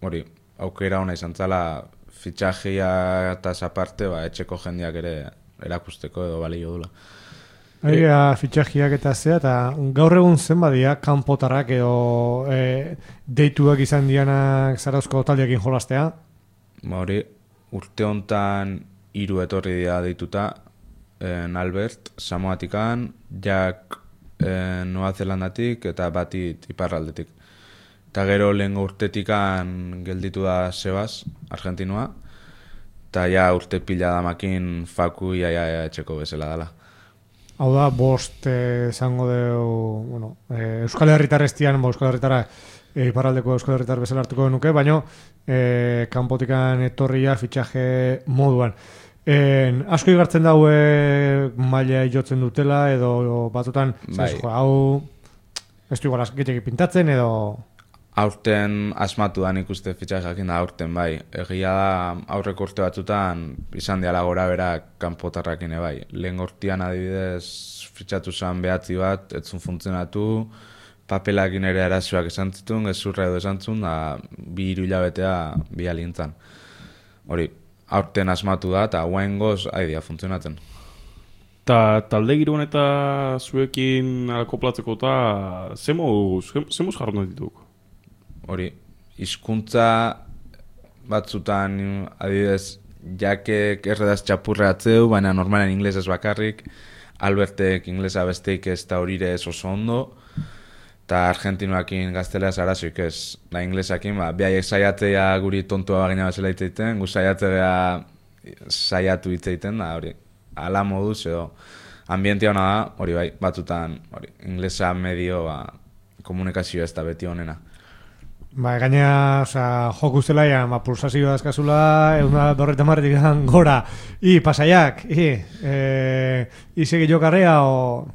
hori, aukera ona izan zala, fitxajia eta aparte, ba, etxeko jendeak ere erakusteko edo balio dula. Egia fitxajiak eta zea, eta gaur egun zenbadia kanpotarrak edo e, deituak izan dianak Zarauzko taldeekin jolastea? Ba hori, urte hontan hiru etorri dira deituta, en Albert, Samoatikan, Jack en Noa Zelandatik eta batit iparraldetik. Eta gero lehen urtetikan gelditu da Sebas, Argentinua, eta ja urte pila damakin Faku ia, ia, ia etxeko bezala dela. Hau da, bost esango eh, deu, bueno, eh, Euskal Herritar estian, bo, Euskal Herritara eh, iparraldeko Euskal Herritar bezala hartuko genuke, baina eh, kanpotikan etorria fitxaje moduan. En, asko igartzen daue maila jotzen dutela, edo batzutan, bai. jo, hau ez du igual gehiagik pintatzen, edo... Aurten asmatu da nik uste fitxajeakin da aurten, bai. Egia da aurreko urte batzutan izan diala gora bera kanpotarrakine, bai. Lehen urtean adibidez fitxatu zen behatzi bat, etzun funtzionatu, papelakin ere arazoak esan zitun, gezurra edo esan zun, da bi hiru hilabetea bi alintzan. Hori, aurten asmatu da, eta guain goz, haidia funtzionatzen. Ta talde giroan eta zuekin alkoplatzeko eta zemuz, zemuz jarron dituk? Hori, hizkuntza batzutan adibidez jakek erredaz txapurreatzeu, baina normalen inglesez bakarrik, Albertek inglesa besteik ez da horire ez oso ondo, eta argentinoakin gazteleaz arazoik ez, da inglesakin, ba, behaiek saiatzea guri tontua bagina bezala hitzeiten, gu saiatzea saiatu hitzeiten, da hori, ala moduz edo ambientia hona da, hori bai, batzutan, hori, inglesa medio, ba, komunikazio ez da beti honena. Ba, gaina, osea, joku zelaian, ba, pulsazioa eskazula, egun da berreta marretik gora, i, pasaiak, i, e, i segi jokarrea, o...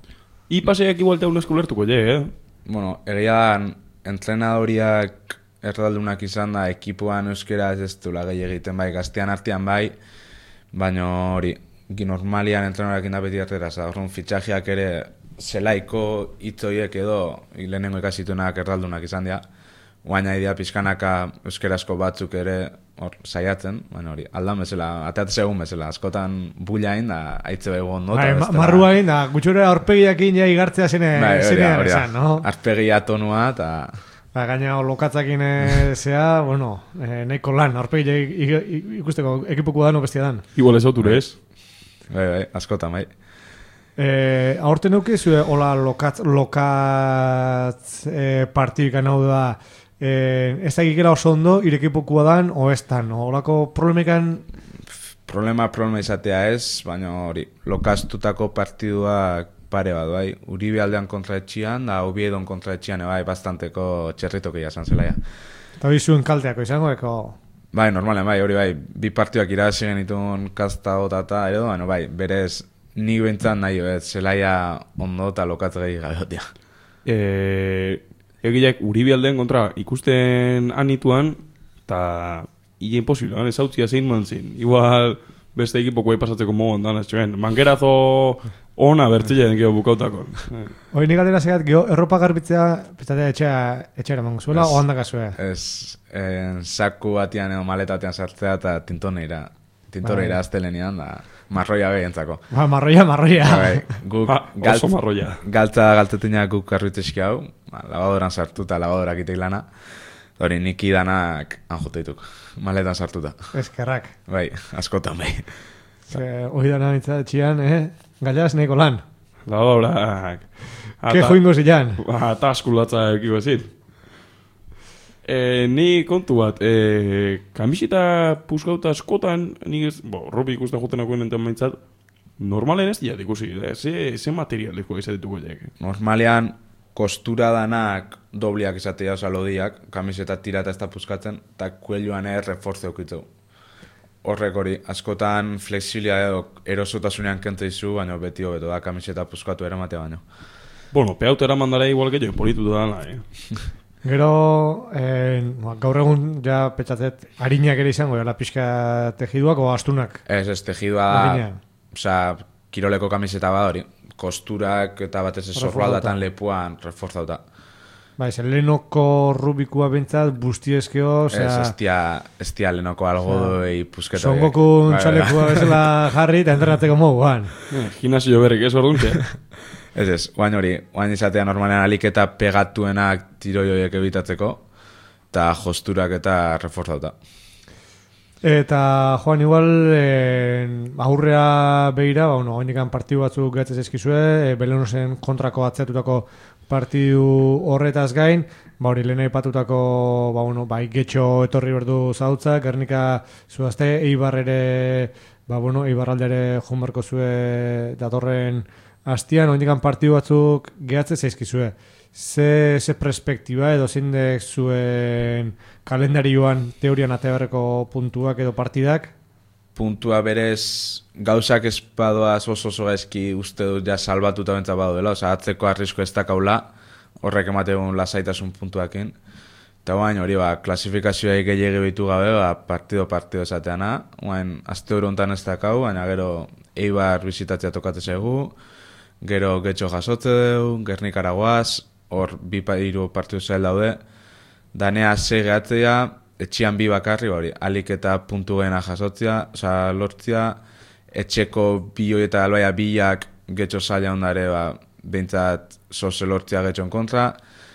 I pasaiak igual teun eskulertuko, je, eh? Bueno, egia da, entrenadoriak erdaldunak izan da, ekipoan euskera ez dula gehi egiten bai, gaztean artean bai, baina hori, normalian entrenadoriak indapeti arteraz, horren fitxajeak ere zelaiko hitzoiek edo lehenengo ikasitunak erdaldunak izan dira, guaina idea pizkanaka euskerazko batzuk ere hor saiatzen, baina hori, aldan bezala, ateatzea egun bezala, askotan bullain da, haitze bego ondo. Bai, marruain da, gutxura aurpegiakin ja igartzea zene, bai, zenean esan, no? Arpegia tonua eta... Ba, gaina lokatzakin zea, bueno, eh, nahiko lan, aurpegia ikusteko ekipuko da no bestia dan. Igual ez auture ez? Bai, bai, askotan, bai. Eh, aurten eukizu, hola lokatz, lokatz eh, partikan hau da, Eh, ez da gikera oso ondo, irekipokua dan, o ez dan, horako problemekan... Problema, problema izatea ez, baina hori, lokaztutako partiduak pare bat, bai, Uribe aldean kontraetxian, da Obiedon kontraetxian, bai, bastanteko txerritokia esan zelaia. Eta hori zuen kalteako izango, eko... Bai, normalen, bai, hori bai, bi partiduak irazi genitun kasta eta edo, baina bai, berez, nik bentzan nahi, ez, zelaia ondo eta lokatz gehi gabeotia. Eh... Egileak Uribe aldeen kontra ikusten anituan, eta hile imposible, ez hautzia zein mantzin. Igual beste ekipoko bai pasatzeko mogon dan, ez txuen, mangerazo ona bertzile den geho bukautako. Hoi nik atera segat, geho, erropa garbitzea, piztatea etxea, etxera mango zuela, o handaka zue? Ez, en, saku batian edo maletatean sartzea eta tintoneira, tintoneira aztelenian, da... Marroia behientzako. Ba, marroia, marroia. Bai, guk ha, galt, oso marroia. Galtza galtetunak guk karruitzeski hau, ba, labadoran sartu eta labadorak itek lana. Hori, nik idanak anjoteituk, maletan sartuta. Eskerrak. Bai, askotan bai. Hoi dana nintza txian, eh? Gallaz neko lan. Labadorak. Ke joingo zilan. Eta askulatza ekiko ezin. E, ni kontu bat, e, kamisita puskauta askotan, nik ez, bo, robi ikusten jotenakoen enten maintzat, normalen ez diat ikusi, e, ze, ze materialiko izatituko jek. Normalean, kostura danak dobliak izatea osa lodiak, kamiseta tira eta ez da puskatzen, eta kuelioan ere reforzeo kitzeu. Horrek hori, askotan flexilia edo erosotasunean kente izu, baina beti hobeto da kamiseta puskatu eramatea baino. Bueno, peauta eraman dara igual gehiago politu da dana, eh? Gero, eh, gaur egun, ja, petxatzet, harinak ere izango, la pixka tejiduak o astunak? Ez, ez, tejidua da, oza, kiroleko kamiseta bada hori, kosturak eta batez ez sorroaldatan lepuan reforzauta. Bai, zen lehenoko rubikua bentsat, bustiezkeo, osea... Ez, ez tia, ez tia lehenoko algodoi pusketo. Son Goku txalekua bezala jarri eta entrenatzeko moguan. Gimnasio berrik ez orduntxe. Ez ez, guain hori, guain izatea normalean aliketa pegatuenak tiroioiek ebitatzeko, eta josturak eta reforzauta. Eta, Joan, igual, eh, aurrea behira, ba, bueno, oinikan partidu batzuk gatzez eskizue, eh, Belenosen kontrako atzeatutako partidu horretaz gain, ba hori lehen aipatutako, ba bueno, bai getxo etorri berdu zautza, Gernika zuazte, Eibar ere, ba bueno, Eibar aldere joan barko zue datorren hastian, oindikan partidu batzuk gehatze zaizkizue. Ze, ze perspektiba edo zindek zuen kalendarioan teorian ateberreko puntuak edo partidak? Puntua berez gauzak espadoaz oso oso gaizki uste dut ja salbatuta bentsa baduela, oza, atzeko arrisko ez dakaula, horrek emategun lasaitasun puntuakin. Eta guain hori ba, klasifikazioa gehiagi behitu gabe, ba, partido-partido esateana, guain azte hori ontan ez dakau, baina gero Eibar bizitatzea tokate zaigu, gero getxo jasotze dugu, Gernikara guaz, hor bi hiru partidu zail daude, danea ze gehatzea, etxian bi bakarri, hori, alik eta puntu gehiena jasotzea, oza, lortzea, etxeko bi hori eta albaia biak getxo zaila ondare, ba, behintzat zoze lortzea getxon kontra,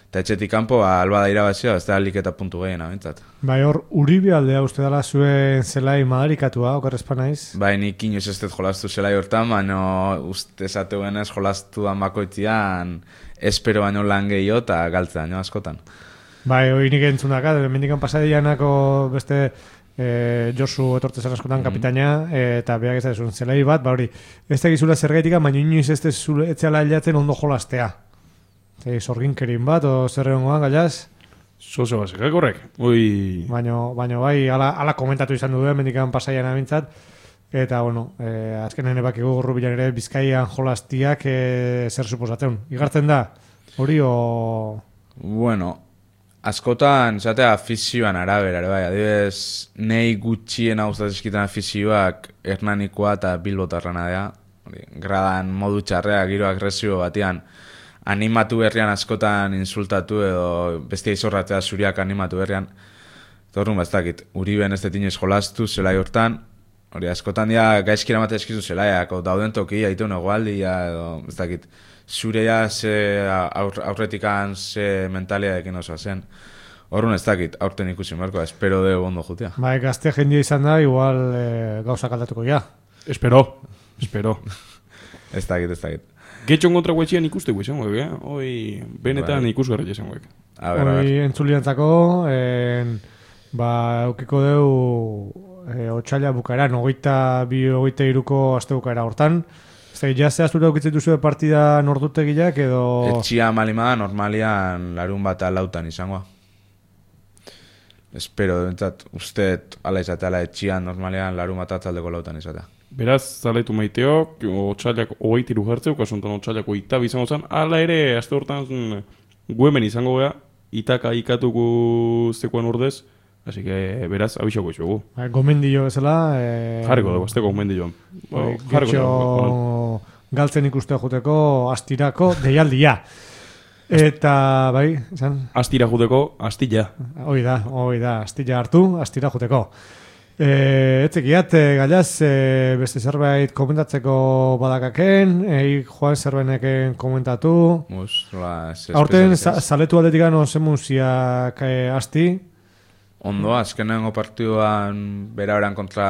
eta etxetik kanpo, ba, alba da irabazia, ez da alik eta puntu gehiena, behintzat. Bai, hor, Uribe aldea uste dela zuen zelai madarikatua, okarrezpa naiz? Bai, nik inoiz ez dut jolastu zelai hortan, baina uste esateuen ez jolastu dan bakoitzian, espero baino lan gehiago eta galtzea, no, askotan. Bai, hori nik entzundaka, mendikan pasadianako beste e, Josu etortzezen askotan mm-hmm. kapitaina, e, eta beak ez da zuen zelai bat, ba hori, ez da gizula zergaitika, baina inoiz ez da etxala hilatzen ondo jolastea. E, Zorginkerin bat, o zerre hongoan, gaiaz? Zoze basekak horrek, oi... Baina, baina bai, ala, ala komentatu izan du, mendikan pasadian abintzat, eta, bueno, e, azkenen ebakigu Rubilan ere Bizkaian jolastiak e, zer suposatzen. Igartzen da, hori o... Bueno... Askotan, zatea, afizioan arabera, bai, adibidez, nei gutxien gustatzen eskitan afizioak Hernanikoa eta Bilbotarrana dea. Gradan modu txarrea, giro agresio batean, animatu berrian askotan insultatu edo bestia izorratzea zuriak animatu berrian. Torrun bastakit, Uriben ez detinez jolastu, zelai hortan, hori askotan dia gaizkira mate eskizu zelaiak, o dauden toki, aitu negoaldia, edo, ez dakit. Zurea ze aur, aurretikan ze mentalia ekin osoa zen. Horrun ez dakit, aurten ikusi markoa, espero de ondo jutea. Bai, gazte jendia izan da, igual e, gauzak aldatuko ja. Espero, espero. Ez dakit, ez dakit. Getxon kontra guetxian ikuste guetxan guek, eh? Hoi, benetan bai. Ikusgarri izan guek. Hoi, entzuliantzako, en, ba, eukiko deu e, otxaila bukaeran, ogeita bi, ogeita iruko aste bukaera hortan. Zer, jazte azura ukitzen duzu partida nordutegiak edo... Etxia malimada normalian larun bat alautan izangoa. Espero, entzat, usteet ala izateala etxian normalian larun bat atzaldeko lautan izatea. Beraz, zaletu maiteok, otxailak ogeita iru jartzeu, kasuntan otxailak ogeita bizango zen, ala ere, azte hortan guemen izango gea, itaka ikatuko zekuan urdez, así que, beraz, abixako izugu. Gomendio bezala... Eh, jarriko dugu, azteko gomendioan. Oh, Getxo galtzen ikustea juteko astirako deialdia. Eta, bai, izan? Astira juteko, astilla. Hoi da, hoi da, astilla hartu, astira juteko. E, etzekiat, e, gaiaz, e, beste zerbait komentatzeko badakaken, egi joan zerbaineken komentatu. Mus, la, aurten, zaletu aldetik gano zemuziak e, asti. Ondo, azkenengo partiduan bera beran kontra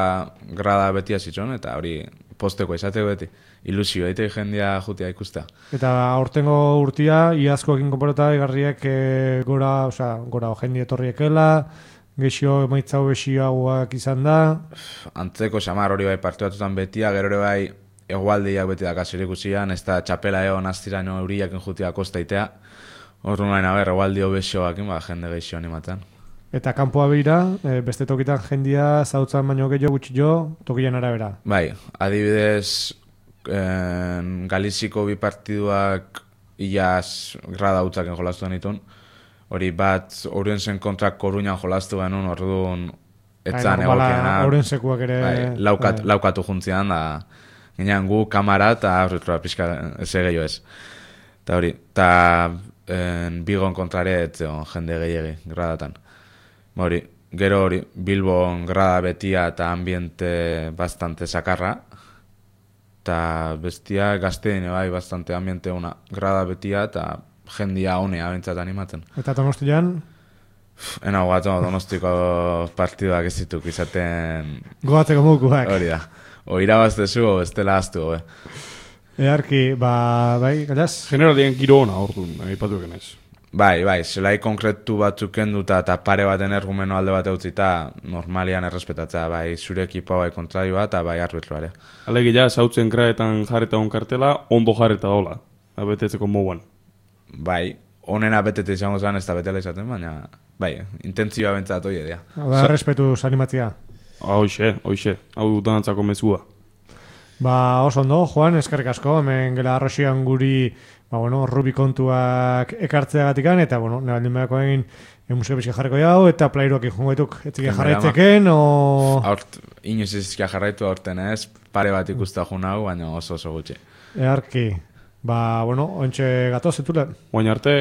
grada beti azitzon, eta hori posteko izateko beti. Ilusio, eite jendia jutia ikustea. Eta aurtengo urtia, iazko egin konporeta egarriak e, gora, osea, gora jendi etorriekela, gexio emaitzau besiagoak izan da. Antzeko xamar hori bai partidatutan betia, gero ere bai egualdiak beti dakasir ikusian, ez da txapela egon aztiraino euriak injutia kostaitea. Hortu nahi naber, egualdio besioak, ba, jende gexio animatzen. Eta kanpoa beira, e, beste tokitan jendia zautzan baino gehiago gutxi jo, tokian arabera. Bai, adibidez, en, Galiziko bi partiduak iaz grada hutzaken jolastu denitun. hori bat Ourensen kontra Koruñan jolastu genuen, orduan etzan Bai, normala, egokiena. Ourensekuak ere... Bai, laukat, bai. laukatu juntzian, da ginean gu kamara eta aurretroa pixka ez gehiago ez. Eta hori, eta Bigon kontrare etzeon jende gehiagi gradatan. Hori, gero hori, Bilbon grada betia eta ambiente bastante sakarra, eta bestia gazteine bai bastante ambiente una grada betia eta jendia honea bentsat animatzen. Eta Donostian? Ena guatu, Donostiko partiduak ez dituk izaten... Goatzeko mukuak. Hori da. O irabaztezu, o estela aztu, be. Earki, ba, bai, galaz? Generalien giro hona, orduan, aipatu egenez. Bai, bai, zelai konkretu batzuk kenduta eta pare baten ergumeno alde bat eutzita normalian errespetatzea, bai, zure ekipa bai kontradioa eta bai arbitroare. Alegia, zautzen kraetan jarreta on kartela, ondo jarreta dola, abetetzeko moguan. Bai, onena betete izango zen ez da betela izaten, baina, bai, intentzioa bentsat hoi edea. Ba, respetuz animatzia. Hoxe, hoxe, hau danantzako mezua. Ba, oso ondo, Juan, eskerrik asko, hemen gela arroxian guri, ba, bueno, rubi kontuak ekartzeagatikan, eta, bueno, nebaldin behako egin musika bizka jarriko jau, eta plairuak ikun gaituk, etzik jarraitzeken, o... Aurt, inoiz izkia jarraitu aurten ez, pare bat ikusta jun hau, baina oso oso gutxi. Earki, ba, bueno, ontxe gatoz, etule. Baina arte...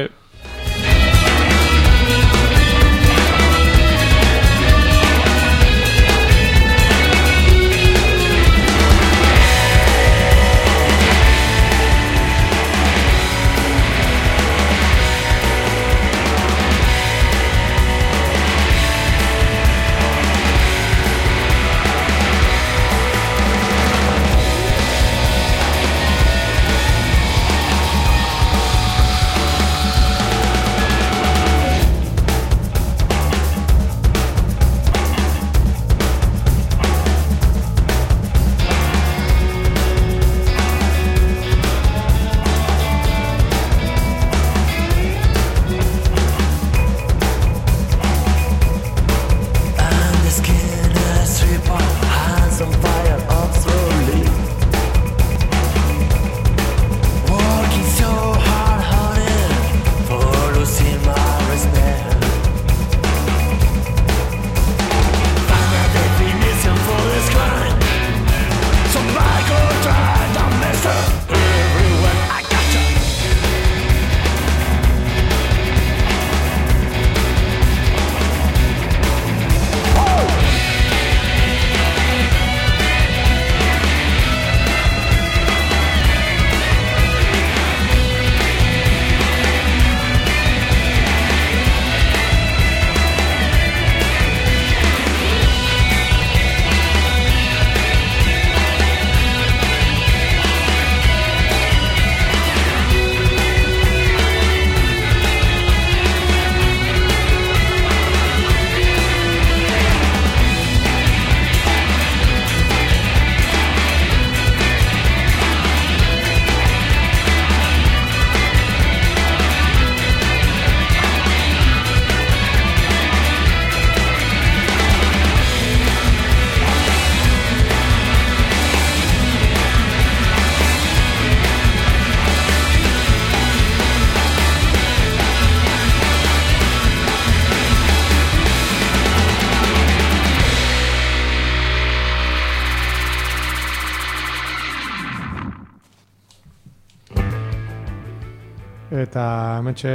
Eta hementxe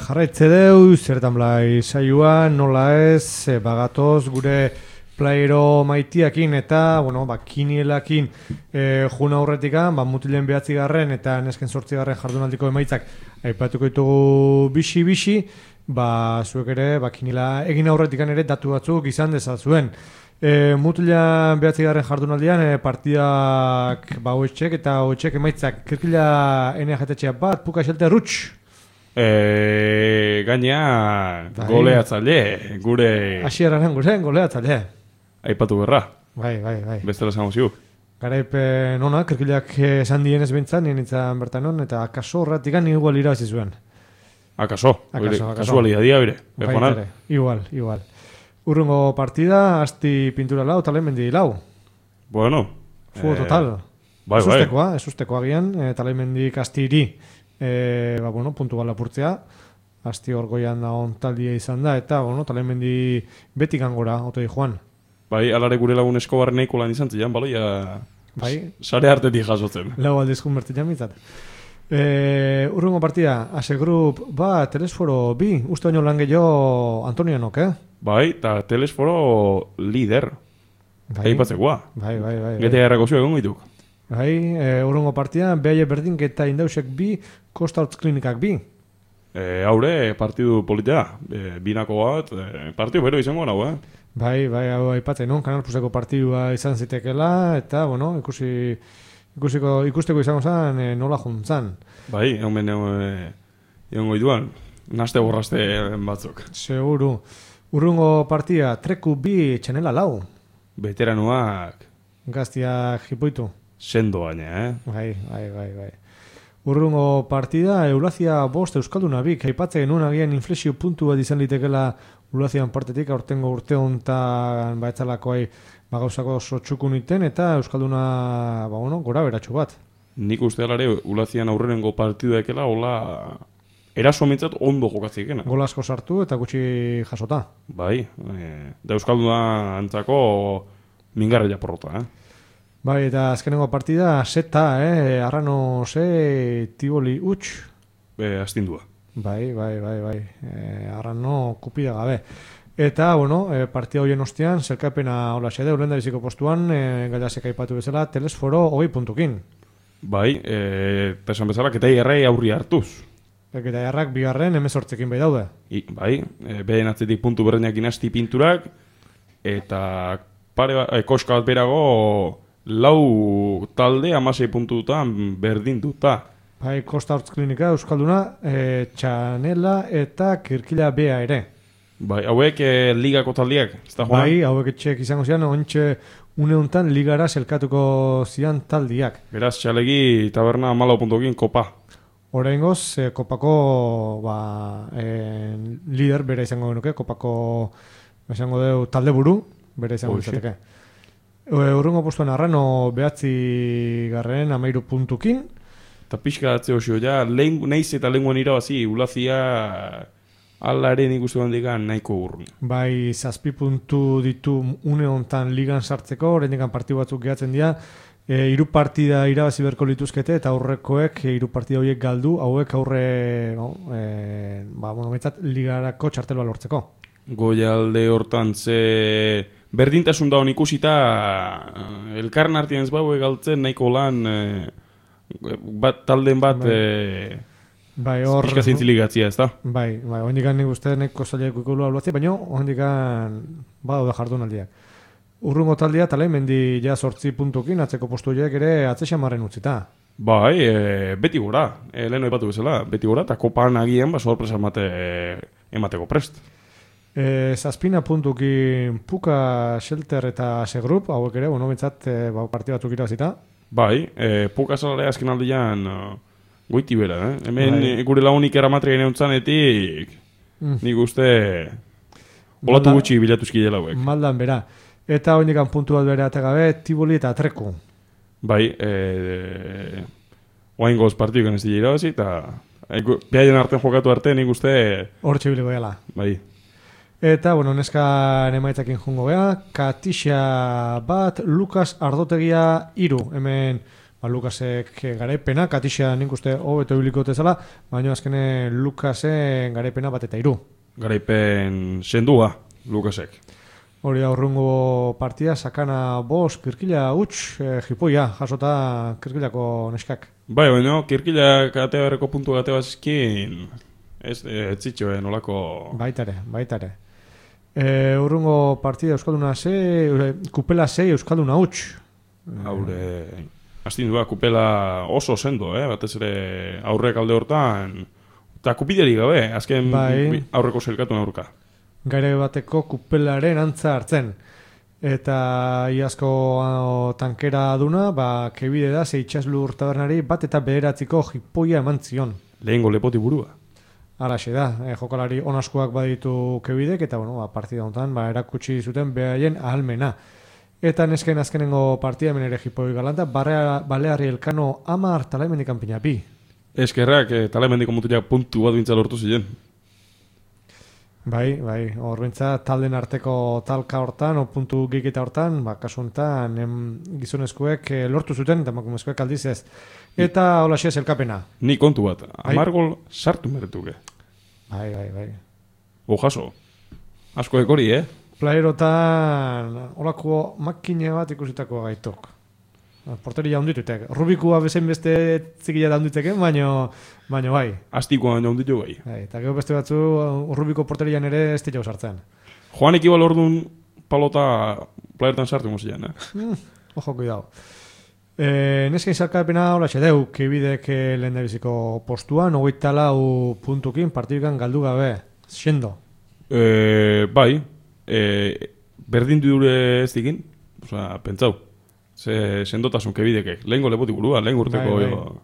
jarraitze deu, zertan blai saioa, nola ez, e, bagatoz gure playero maitiakin eta, bueno, ba, kinielakin e, juna aurretikan, ba, mutilen behatzi garren eta nesken sortzi garren jardunaldiko emaitzak aipatuko ditugu bixi-bixi, ba, zuek ere, ba, kiniela egin aurretikan ere datu batzuk izan dezazuen. E, mutilean behatzi garren jardunaldian e, partidak ba, hoetxek eta hoetxek emaitzak kirkila N H T bat, puka xelte rutx. E, gainea goleatzaile, gure... Asieraren gure goleatzaile. Aipatu berra. Bai, bai, bai. Bestela zango ziuk. Garaipen ona, kirkilak esan dienez bintzan, nien itzan bertan hon, eta akaso horretik gan igual irabazi zuen. Akaso, akaso, akaso. Kasualidadia bire. Bai, igual, igual. Urrungo partida, asti pintura lau, talen mendi lau. Bueno. Fugo eh, total. Bai, ez ustekoa, ez ustekoa gian, e, talen mendik astiri, e, ba, bueno, puntu gala purtzea. asti orgoian da on taldia izan da, eta, bueno, Talemendi betik angora, ote di joan. Bai, alare gure lagun Eskobar nahiko lan izan zian, baloia bai, sare hartetik jasotzen. Lau aldizkun bertitzen mitzat. E, urrungo partida, Ase Group ba, Telesforo bi, uste baino lan gehiago Antonianok, eh? Bai, eta Telesforo lider. Bai, patzekoa. Bai, bai, bai. Gete garrako zio egon gaituk. Bai, e, urrungo partida, behaie berdinketa indausek bi, Costa Hortz Klinikak bi. E, haure, partidu politea. E, binako bat, e, partidu bero izango nau, eh? Bai, bai, hau aipatzen, no? Kanal Pluseko partidua izan zitekela, eta, bueno, ikusi, ikusiko, ikusteko izango zen, e, nola juntzan. Bai, egon ben egon goiduan, naste borraste batzuk. Seguru. Urrungo partida, Treku bi, Txanela lau. Veteranoak Gaztiak jipoitu. sendo baina, eh? Bai, bai, bai, bai. Urrungo partida, Eulazia bost Euskalduna bik, aipatzen genuen agian inflexio puntu bat izan litekela Eulazian partetik, aurtengo urte hontan baetzalakoai bagauzako sotxukun iten, eta Euskalduna, ba, bueno, gora beratxo bat. Nik uste alare, Eulazian aurrenengo partidu ekela, hola, eraso mintzat ondo jokatzikena. Gol asko sartu eta gutxi jasota. Bai, e, da Euskalduna antzako mingarra japorrota, eh? Bai, eta azkenengo partida, seta, eh? Arrano ze, Tiboli utx. Be, astindua. Bai, bai, bai, bai. E, Arrano kupida gabe. Eta, bueno, e, partida horien ostean, zelkapena hola xede, urenda biziko postuan, e, gaitasek aipatu bezala, Telesforo hogei puntukin. Bai, e, eta esan bezala, ketai errei aurri hartuz. Eta jarrak bigarren emezortzekin bai daude. I, bai, e, behen atzetik puntu berdinak inasti pinturak, eta pare ba, e, koska bat berago lau talde amasei puntutan berdinduta. Bai, Costa Hortz Klinika, Euskalduna, e, Txanela eta Kirkila Bea ere. Bai, hauek e, ligako taldiak, ez da joan? Bai, hauek etxek izango zian, ontxe une honetan ligara zelkatuko zian taldiak. Beraz, txalegi taberna amalau puntokin kopa. Oraingoz, e, kopako ba, e, lider bere izango genuke, kopako izango deu talde buru, bere izango izateke. Urrungo postuan Arrano behatzi garren amairu puntukin. Eta pixka datze osio, ja, lehen, nahiz eta lenguan irabazi, Ulazia alaren ikustu handikan nahiko urrun. Bai, zazpi puntu ditu une hontan ligan sartzeko, oraindik partidu batzuk gehatzen dira, e, hiru partida irabazi berko lituzkete, eta aurrekoek e, hiru partida horiek galdu, hauek aurre, no, e, ba, bueno, betzat ligarako txartelua lortzeko. Goialde hortan ze berdintasun daun ikusita, elkarren artian ez bau egaltzen nahiko lan, e, bat, talden bat, bai. e, Bai, hor... pixka zintziligatzia, ez da? Bai, bai, hondikan nik uste nahiko zaileak ikulu albatzea, baina hondikan badaude jardunaldiak. Urrungo taldea, Talemendi ja sortzi puntukin, atzeko postu horiek ere atzexamarren utzita. Bai, e, beti gora, e, lehen oipatu bezala, beti gora, eta kopan agian, ba, sorpresa emate, emateko prest. E, zazpina puntukin Puka, Shelter eta Segrup, hauek ere, bueno, bentsat, e, ba, partida batzuk irabazita. Bai, e, Puka salare azken aldean uh, goiti bera, eh? Hemen bai. Gure launik eramatria neontzanetik, mm. nik uste olatu gutxi bilatuzki dela hauek. Maldan bera. Eta hori nikan puntu bat bere gabe, Tiboli eta Treku. Bai, e, oain goz partidukan ez dira irabazi, eta e, behaien artean jokatu arte nik uste hor txibiliko dela. Bai. Eta, bueno, neskan emaitzakin jungo beha, Katixa bat, Lukas Ardotegia iru. Hemen, ba, Lukasek garaipena, Katixa nik uste hobeto ibiliko tezala, baina azkene Lukasen garaipena bat eta iru. Garaipen sendua, Lukasek. Hori aurrungo partia, Sakana bos, Kirkila huts, e, jipoia, jasota Kirkilako neskak. Bai, baina, Kirkila katea berreko puntu gatea bazizkin, ez, ez zitxo, eh, nolako... Baitare, baitare. E, urrungo partida Euskalduna ze, Kupela zei Euskalduna huts. Haure, astindua, Kupela oso sendo, eh? Batez ere aurrek alde hortan, eta kupideri gabe, azken bai. Aurreko zelkatu aurka. Gaire bateko Kupelaren antza hartzen. Eta iazko ano, tankera aduna, ba, kebide da, ze itxaslur tabernari bat eta bederatziko jipoia eman zion. Lehengo lepoti burua. Araxe da, e, jokalari onaskoak baditu kebidek, eta bueno, ba, partida honetan ba, erakutsi zuten behaien ahalmena. Eta nesken azkenengo partida hemen ere jipoi galanta, Balearri Elkano amar Talaimendi kanpina bi. Eskerrak, e, Talaimendiko mutiak puntu bat bintza lortu ziren. Bai, bai, hor bentsa talden arteko talka hortan, o puntu gikita hortan, ba, kasu honetan gizonezkoek eh, lortu zuten, eta emakumezkoek aldiz ez. Eta hola xez elkapena. Ni kontu bat, hamar gol sartu meretuke. Bai, bai, bai. Ojaso, asko ekori, eh? Playerotan horako makine bat ikusitako gaitok. Porteria handitutek. Rubikua bezain beste zikila da handiteken, baino, baino bai. Astikoan handitu bai. Bai, eta gero beste batzu Rubiko porterian ere ez dira sartzen. Joan ekibal orduan palota playerotan sartu mozian, eh? Mm, ojo, cuidado. E, Nesken salkapena hola xedeu, kebidek lehen da biziko postuan, hogeita lau puntukin partidukan galdu gabe. Xendo. E, bai, e, berdin dure ez dikin, oza, pentsau. Ze sendotasun kebidekek. Lehengo lepotik burua, lehen urteko... Bai, bai.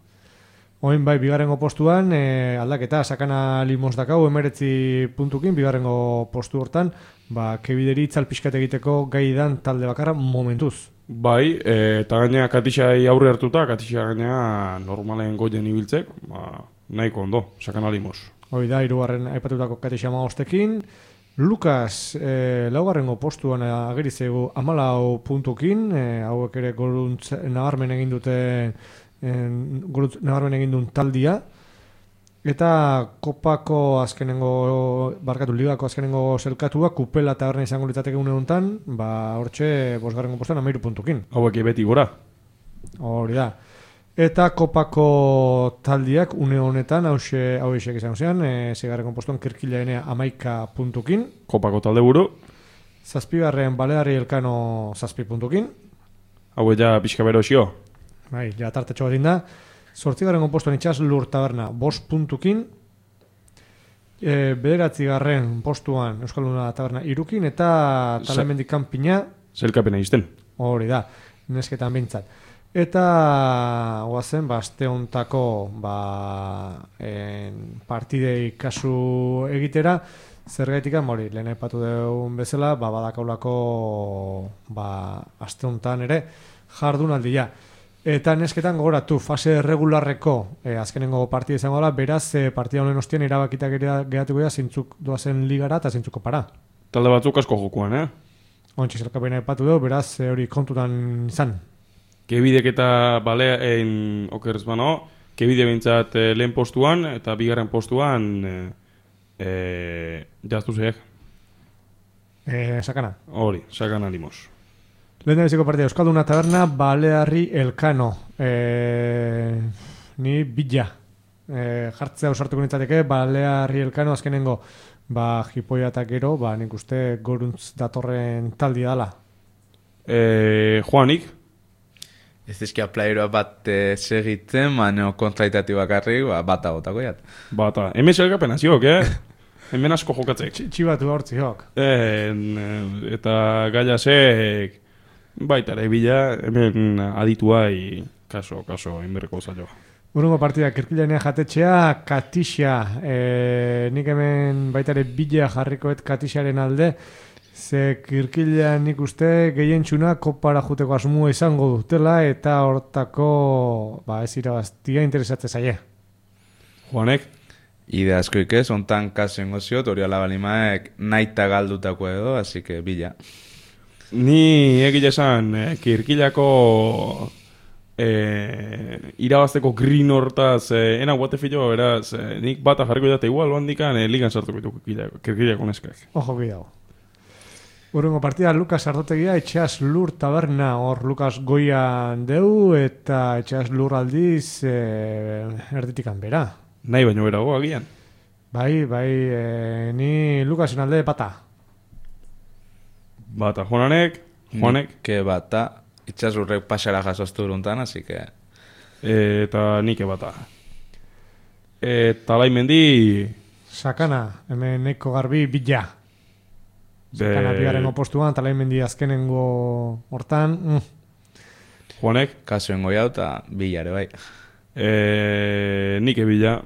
Oin bai, bigarrengo postuan, e, aldaketa, sakana limos dakau, emeretzi puntukin, bigarrengo postu hortan, ba, kebideri itzalpiskat egiteko gai dan talde bakarra momentuz. Bai, e, eta gainea katixai aurre hartuta, katixai gainea normalen goien ibiltzek, ba, nahiko ondo, sakana limos. Hoi da, hirugarren aipatutako katixa maostekin, Lukas, e, laugarrengo postuan agerizegu amalau puntukin, e, hauek ere goruntz nabarmen egin dute e, goruntz nabarmen egin duen taldia, eta kopako azkenengo, barkatu, ligako azkenengo zelkatua, kupela eta garren izango litzateke une honetan, ba, hortxe, bosgarrengo postuan amairu puntukin. Hauek beti gora. Hori da. Eta kopako taldiak une honetan, hause hauexek izango zean, e, zigarren postuan kirkilaenea amaika puntukin. Kopako talde buru. Zazpigarren Baleari Elkano zazpi puntukin. Hau ja pixka bero xio. Bai, ja tartetxo bat da. Zortzigarren postuan itxas Lur Taberna bost puntukin. E, bederatzigarren postuan Euskal Luna Taberna irukin, eta Talamendik Kanpina. Zelkapena izten. Hori da, nesketan bintzat. Eta guazen, ba, aste hontako ba, en, partidei kasu egitera, zergaitik hori, lehen aipatu dugun bezala, ba, badakaulako ba, aste hontan ere jardunaldia. Eta nesketan gogoratu, fase regularreko e, azkenengo partida izango da, beraz e, partida honen ostian erabakitak geratuko da zintzuk doazen ligara eta zintzuko para. Talde batzuk asko jokuan, eh? Ontsi zelkapena aipatu dugu, beraz e, hori kontutan izan. Kebidek eta baleen okerz bano, kebide bintzat e, lehen postuan eta bigarren postuan e, e, jaztu zeek. E, sakana. Hori, sakana limos. Lehen da biziko partida, Euskalduna Taberna, Baleari Elkano. E, ni bila. E, jartzea usartuko nintzateke, Baleari Elkano azkenengo, ba, jipoia eta gero, ba, nik uste goruntz datorren taldi dala. E, Juanik? Ez dizkia playeroa bat e, segitzen, baina kontraitati bakarrik, ba, bata gotako jat. Bata. Hemen zelkapen aziok, eh? Hemen asko jokatzek. Txibatu hortzi jok. E, eta gaiasek baita ere bila, hemen adituai kaso, kaso, inberreko zailo. Urungo partida, kirkilanea jatetxea, Katixa. E, nik hemen baita ere bila jarrikoet Katixaren alde, ze kirkilean nik uste gehientxuna kopara juteko asmua izango dutela eta hortako ba, ez irabaztia interesatze zaie. Juanek? Ide askoik ez, ontan kasen goziot, hori alabalimaek naita galdutako edo, así que bila. Ni egile esan, eh, kirkilako eh, irabazteko green hortaz, eh, ena guatefilo, beraz, eh, nik bata jarriko jate igual, bandikan eh, ligan sartuko ditu kirkilako neskak. Ojo bidau. Urrengo partida, Lukas Ardotegia, Etxeaz Lur Taberna, hor Lukas Goian deu, eta Etxeaz Lur aldiz e, erditikan bera. Nahi baino berago agian. Bai, bai, e, ni Lukasen alde bata. Bata, Juanek, Juanek. Nike bata, itxasurrek pasara jasoztu uruntan, así que... E, eta nike bata. Eta laimendi... Sakana, hemen neko garbi bila. Sakana Be... bigarrengo postuan, talaimendi azkenengo hortan. Mm. Juanek? Kasuen goiau eta bilare bai. E, nike bila.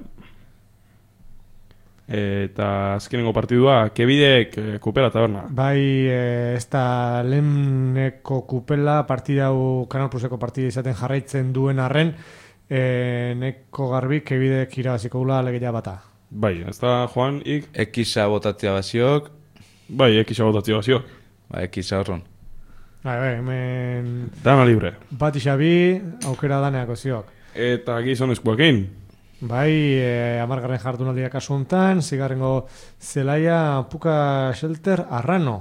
Eta azkenengo partidua, kebidek e, kupela taberna. Bai, e, ez da leheneko kupela partida hau Kanal Pluseko partida izaten jarraitzen duen arren, e, neko garbi kebidek irabaziko gula alegeia bata. Bai, ez da, Juan, ik? Ekisa botatzea baziok. Bai, ekisa botatzea baziok. Ba, ekisa horron. Bai, bai, hemen... Dana libre. Bat isabi, aukera daneako ziok. Eta gizonezkoekin. Bai, e, amargarren jardunaldia kasu hontan, zigarrengo zelaia Puka Shelter Arrano.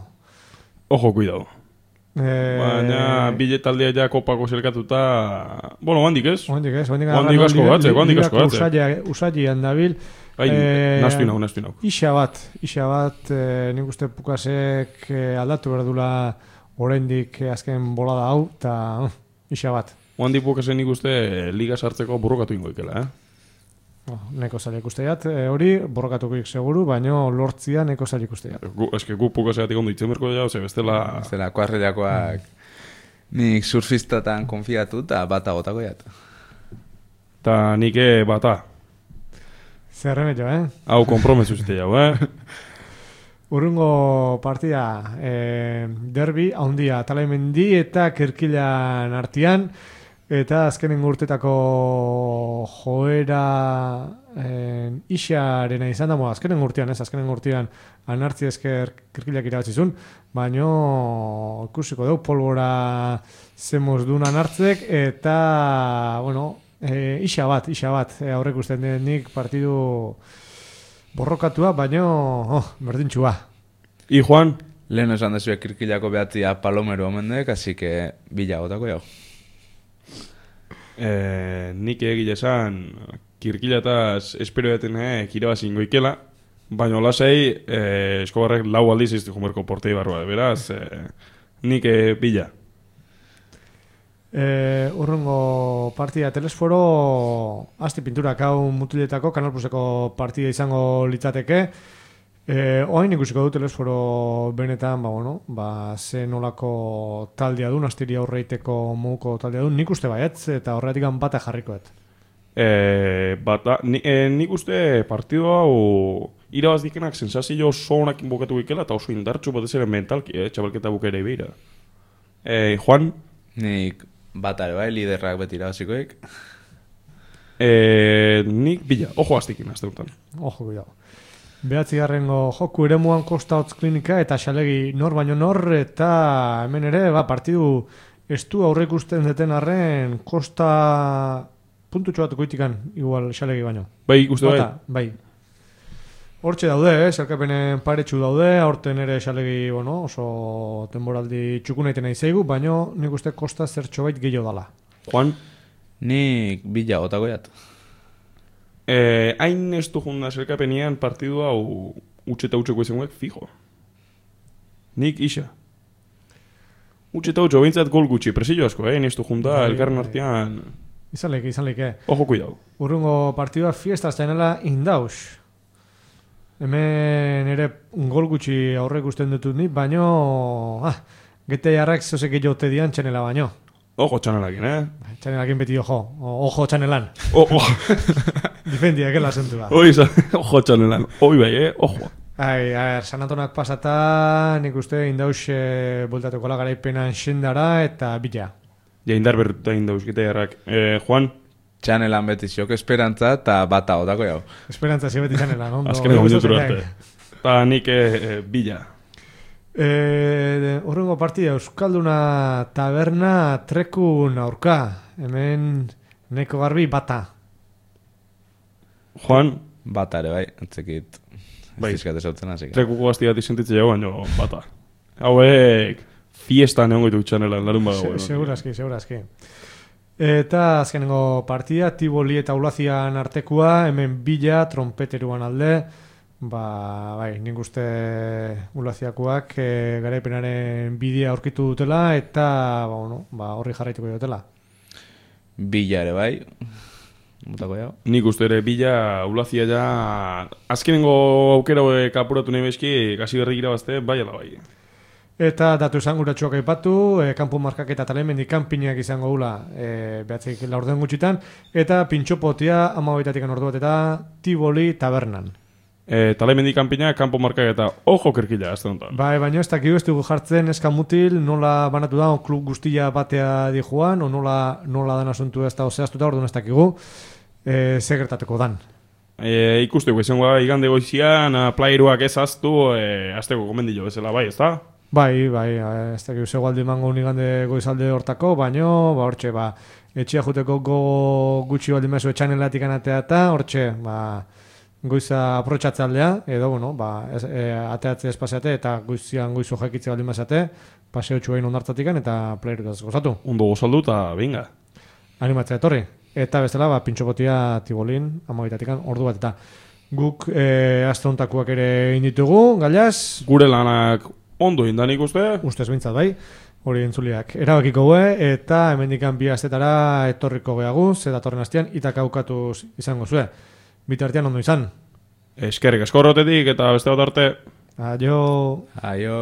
Ojo, cuidado. E... Baina, biletaldea ja kopako zelkatuta... Bueno, handik ez? Handik ez, handik handik asko batze, handik asko batze. Usailean dabil. Bai, e... nastu inau, nastu inau. Isa bat, isa bat, e, nik uste Pukasek e, aldatu berdula oraindik azken bolada hau, eta uh, isa bat. Handik Pukasen nik uste liga sartzeko borrokatu ingo ikela, eh? Oh, neko zaila ikusteat, e, hori borrokatuko seguru, baina lortzia neko zaila ikusteat. Eske gu Pukaseatik ondo itzen berko jau, ze bestela... Bestela, kuarrelakoak nik surfistatan konfiatu eta bata gotako jat. Ta nik bata. Zer remetio, eh? Hau, kompromesu zite jau, eh? Urrungo partida, e, derbi, haundia, Talaimendi eta Kirkilan artian, eta azkenen urtetako joera eh, isarena izan da, mo, azkenen urtean, ez, azkenen urtean anartzi esker Kirkilak irabatzizun, baino ikusiko dugu polbora zemoz duen anartzek, eta, bueno, e, isa bat, isa bat, e, aurrek usten denik partidu borrokatua, baino, oh, berdintxua. I, Juan? Lehen esan dezuek Kirkilako behatzia palomero omendek, así que bila gotako jau. Eh, nik egile esan Kirkilataz espero jaten eh, kirabazin goikela, baina lasei eh, Eskobarrek lau aldiz izte jumerko portei barroa, beraz, eh, nik eh, bila. Eh, urrungo partida Telesforo, asti pinturak hau mutiletako, Kanal Pluseko partida izango litzateke. Eh, oain ikusiko du Telesforo benetan, ba, bueno, ba, ze nolako taldea du, astiri aurreiteko muko taldea du, nik uste baietz, eta horretik bata jarrikoet. Eh, bata, ni, eh, nik uste partidu hau irabaz dikenak sensazio oso honak inbokatu ikela, eta oso indartxu bat ez ere mentalki, eh, txabalketa bukera ibeira. Eh, Juan? Nik batare bai, liderrak beti irabazikoek. Eh, nik bila, ojo aztikin azte untan. Ojo, cuidado. Behatzigarrengo joku eremuan Kosta Hotz Klinika eta xalegi nor baino nor, eta hemen ere, ba, partidu estu aurrek usten deten arren Kosta puntutxo bat goitikan igual xalegi baino. Bai, ikuste bai? Bata, bai. Hortxe daude, eh? Zerkapenen paretsu daude, aurten ere xalegi, bueno, oso denboraldi txukunaiten aizeigu, baino nik uste Kosta zertxo bait gehiago dala. Juan? Nik bila gotako jat. Eh, hain ez du junda zerkapenean partidu hau utxe eta utxeko izanuek fijo. Nik isa. Utxe eta utxo, bintzat gol gutxi, presillo asko, eh? Hain ez du junda elkarren artean... Izan leike, izan leike. Ojo, cuidado. Urrungo partidua fiesta zainela indaus. Hemen ere gol gutxi aurrek usten dutut ni, baino... Ah, gete jarrak zozek gehiagote dian txanela baino. Ojo txanelakin, eh? Txanelakin beti ojo. Ojo txanelan. Ojo. Difendiak el asentua. Oi, ojo txanelan. Oi bai, eh? Ojo. Ai, a ver, sanatonak pasata, nik uste indaus e, bultatuko la garaipenan xendara eta bila. Ja, indar berruta indaus gite jarrak. Eh, Juan? Txanelan beti ziok esperantza eta bata otako jau. Esperantza zi beti txanelan, ondo. Azkeneko minutu arte. Ta nik eh, bila. Eh, Urrengo partida Euskalduna taberna trekun aurka. Hemen neko garbi bata. Juan? Bata ere bai, entzekit. Bai, zautzen, trekuko gazti bat izentitze jau, baino bata. Hauek fiesta neongo ditu txanelan, larun badago. Se, segurazki, segurazki. Eta azkenengo partida, Tiboli eta Ulazian artekua, hemen bila, trompeteruan alde, ba, bai, nik uste Ulaziakoak e, garaipenaren bidea aurkitu dutela, eta, ba, bueno, ba, horri jarraituko dutela. Bila ere bai, mutako jau. Nik uste ere bila, Ulazia ja, azkenengo aukera kapuratu nahi bezki, kasi berri irabazte, bai ala bai. Eta datu esanguratsuak aipatu, e, kanpo markak eta Talaimendi kanpinak izango gula e, behatzik laurden gutxitan, eta pintxopotia amabaitatik ordu bat eta Tiboli tabernan. E, Talaimendi kanpinak, kanpo markak eta ojo kerkila, ez da nontan. Bai, baina ez dakigu ez dugu jartzen eskamutil, nola banatu da, o klub guztia batea di joan, o nola, nola dan asuntu ez da ozeaztuta, orduan ez dakigu, e, segertateko dan. e, ikusteko izango da, igande goizian, playeruak ez aztu, e, azteko komendio bezala bai, ez da? Bai, bai, ez dakik zego aldi mango unigande goizalde hortako, baino, ba, hortxe, ba, etxea juteko go gutxi baldin mezu etxanelatik anatea eta, hortxe, ba, goiza aprotxatze aldea, edo, bueno, ba, ez, e, ateatze espaziate eta goizian goizu jakitze baldin mazate, paseo txuain ondartatikan eta playerutaz gozatu. Ondo gozaldu eta binga. Animatzea etorri. Eta bestela, ba, pintxokotia tibolin, amabitatikan, ordu bat eta guk e, astrontakuak ere inditugu, galiaz? Gure lanak ondo indan ikuste? Ustez bintzat bai, hori entzuliak erabakiko gue, eta hemendikan bi astetara etorriko gehagu, ze datorren hastian, itak aukatuz izango zue. Bitartean ondo izan. Eskerrik asko horretetik eta beste bat arte. Aio. Aio.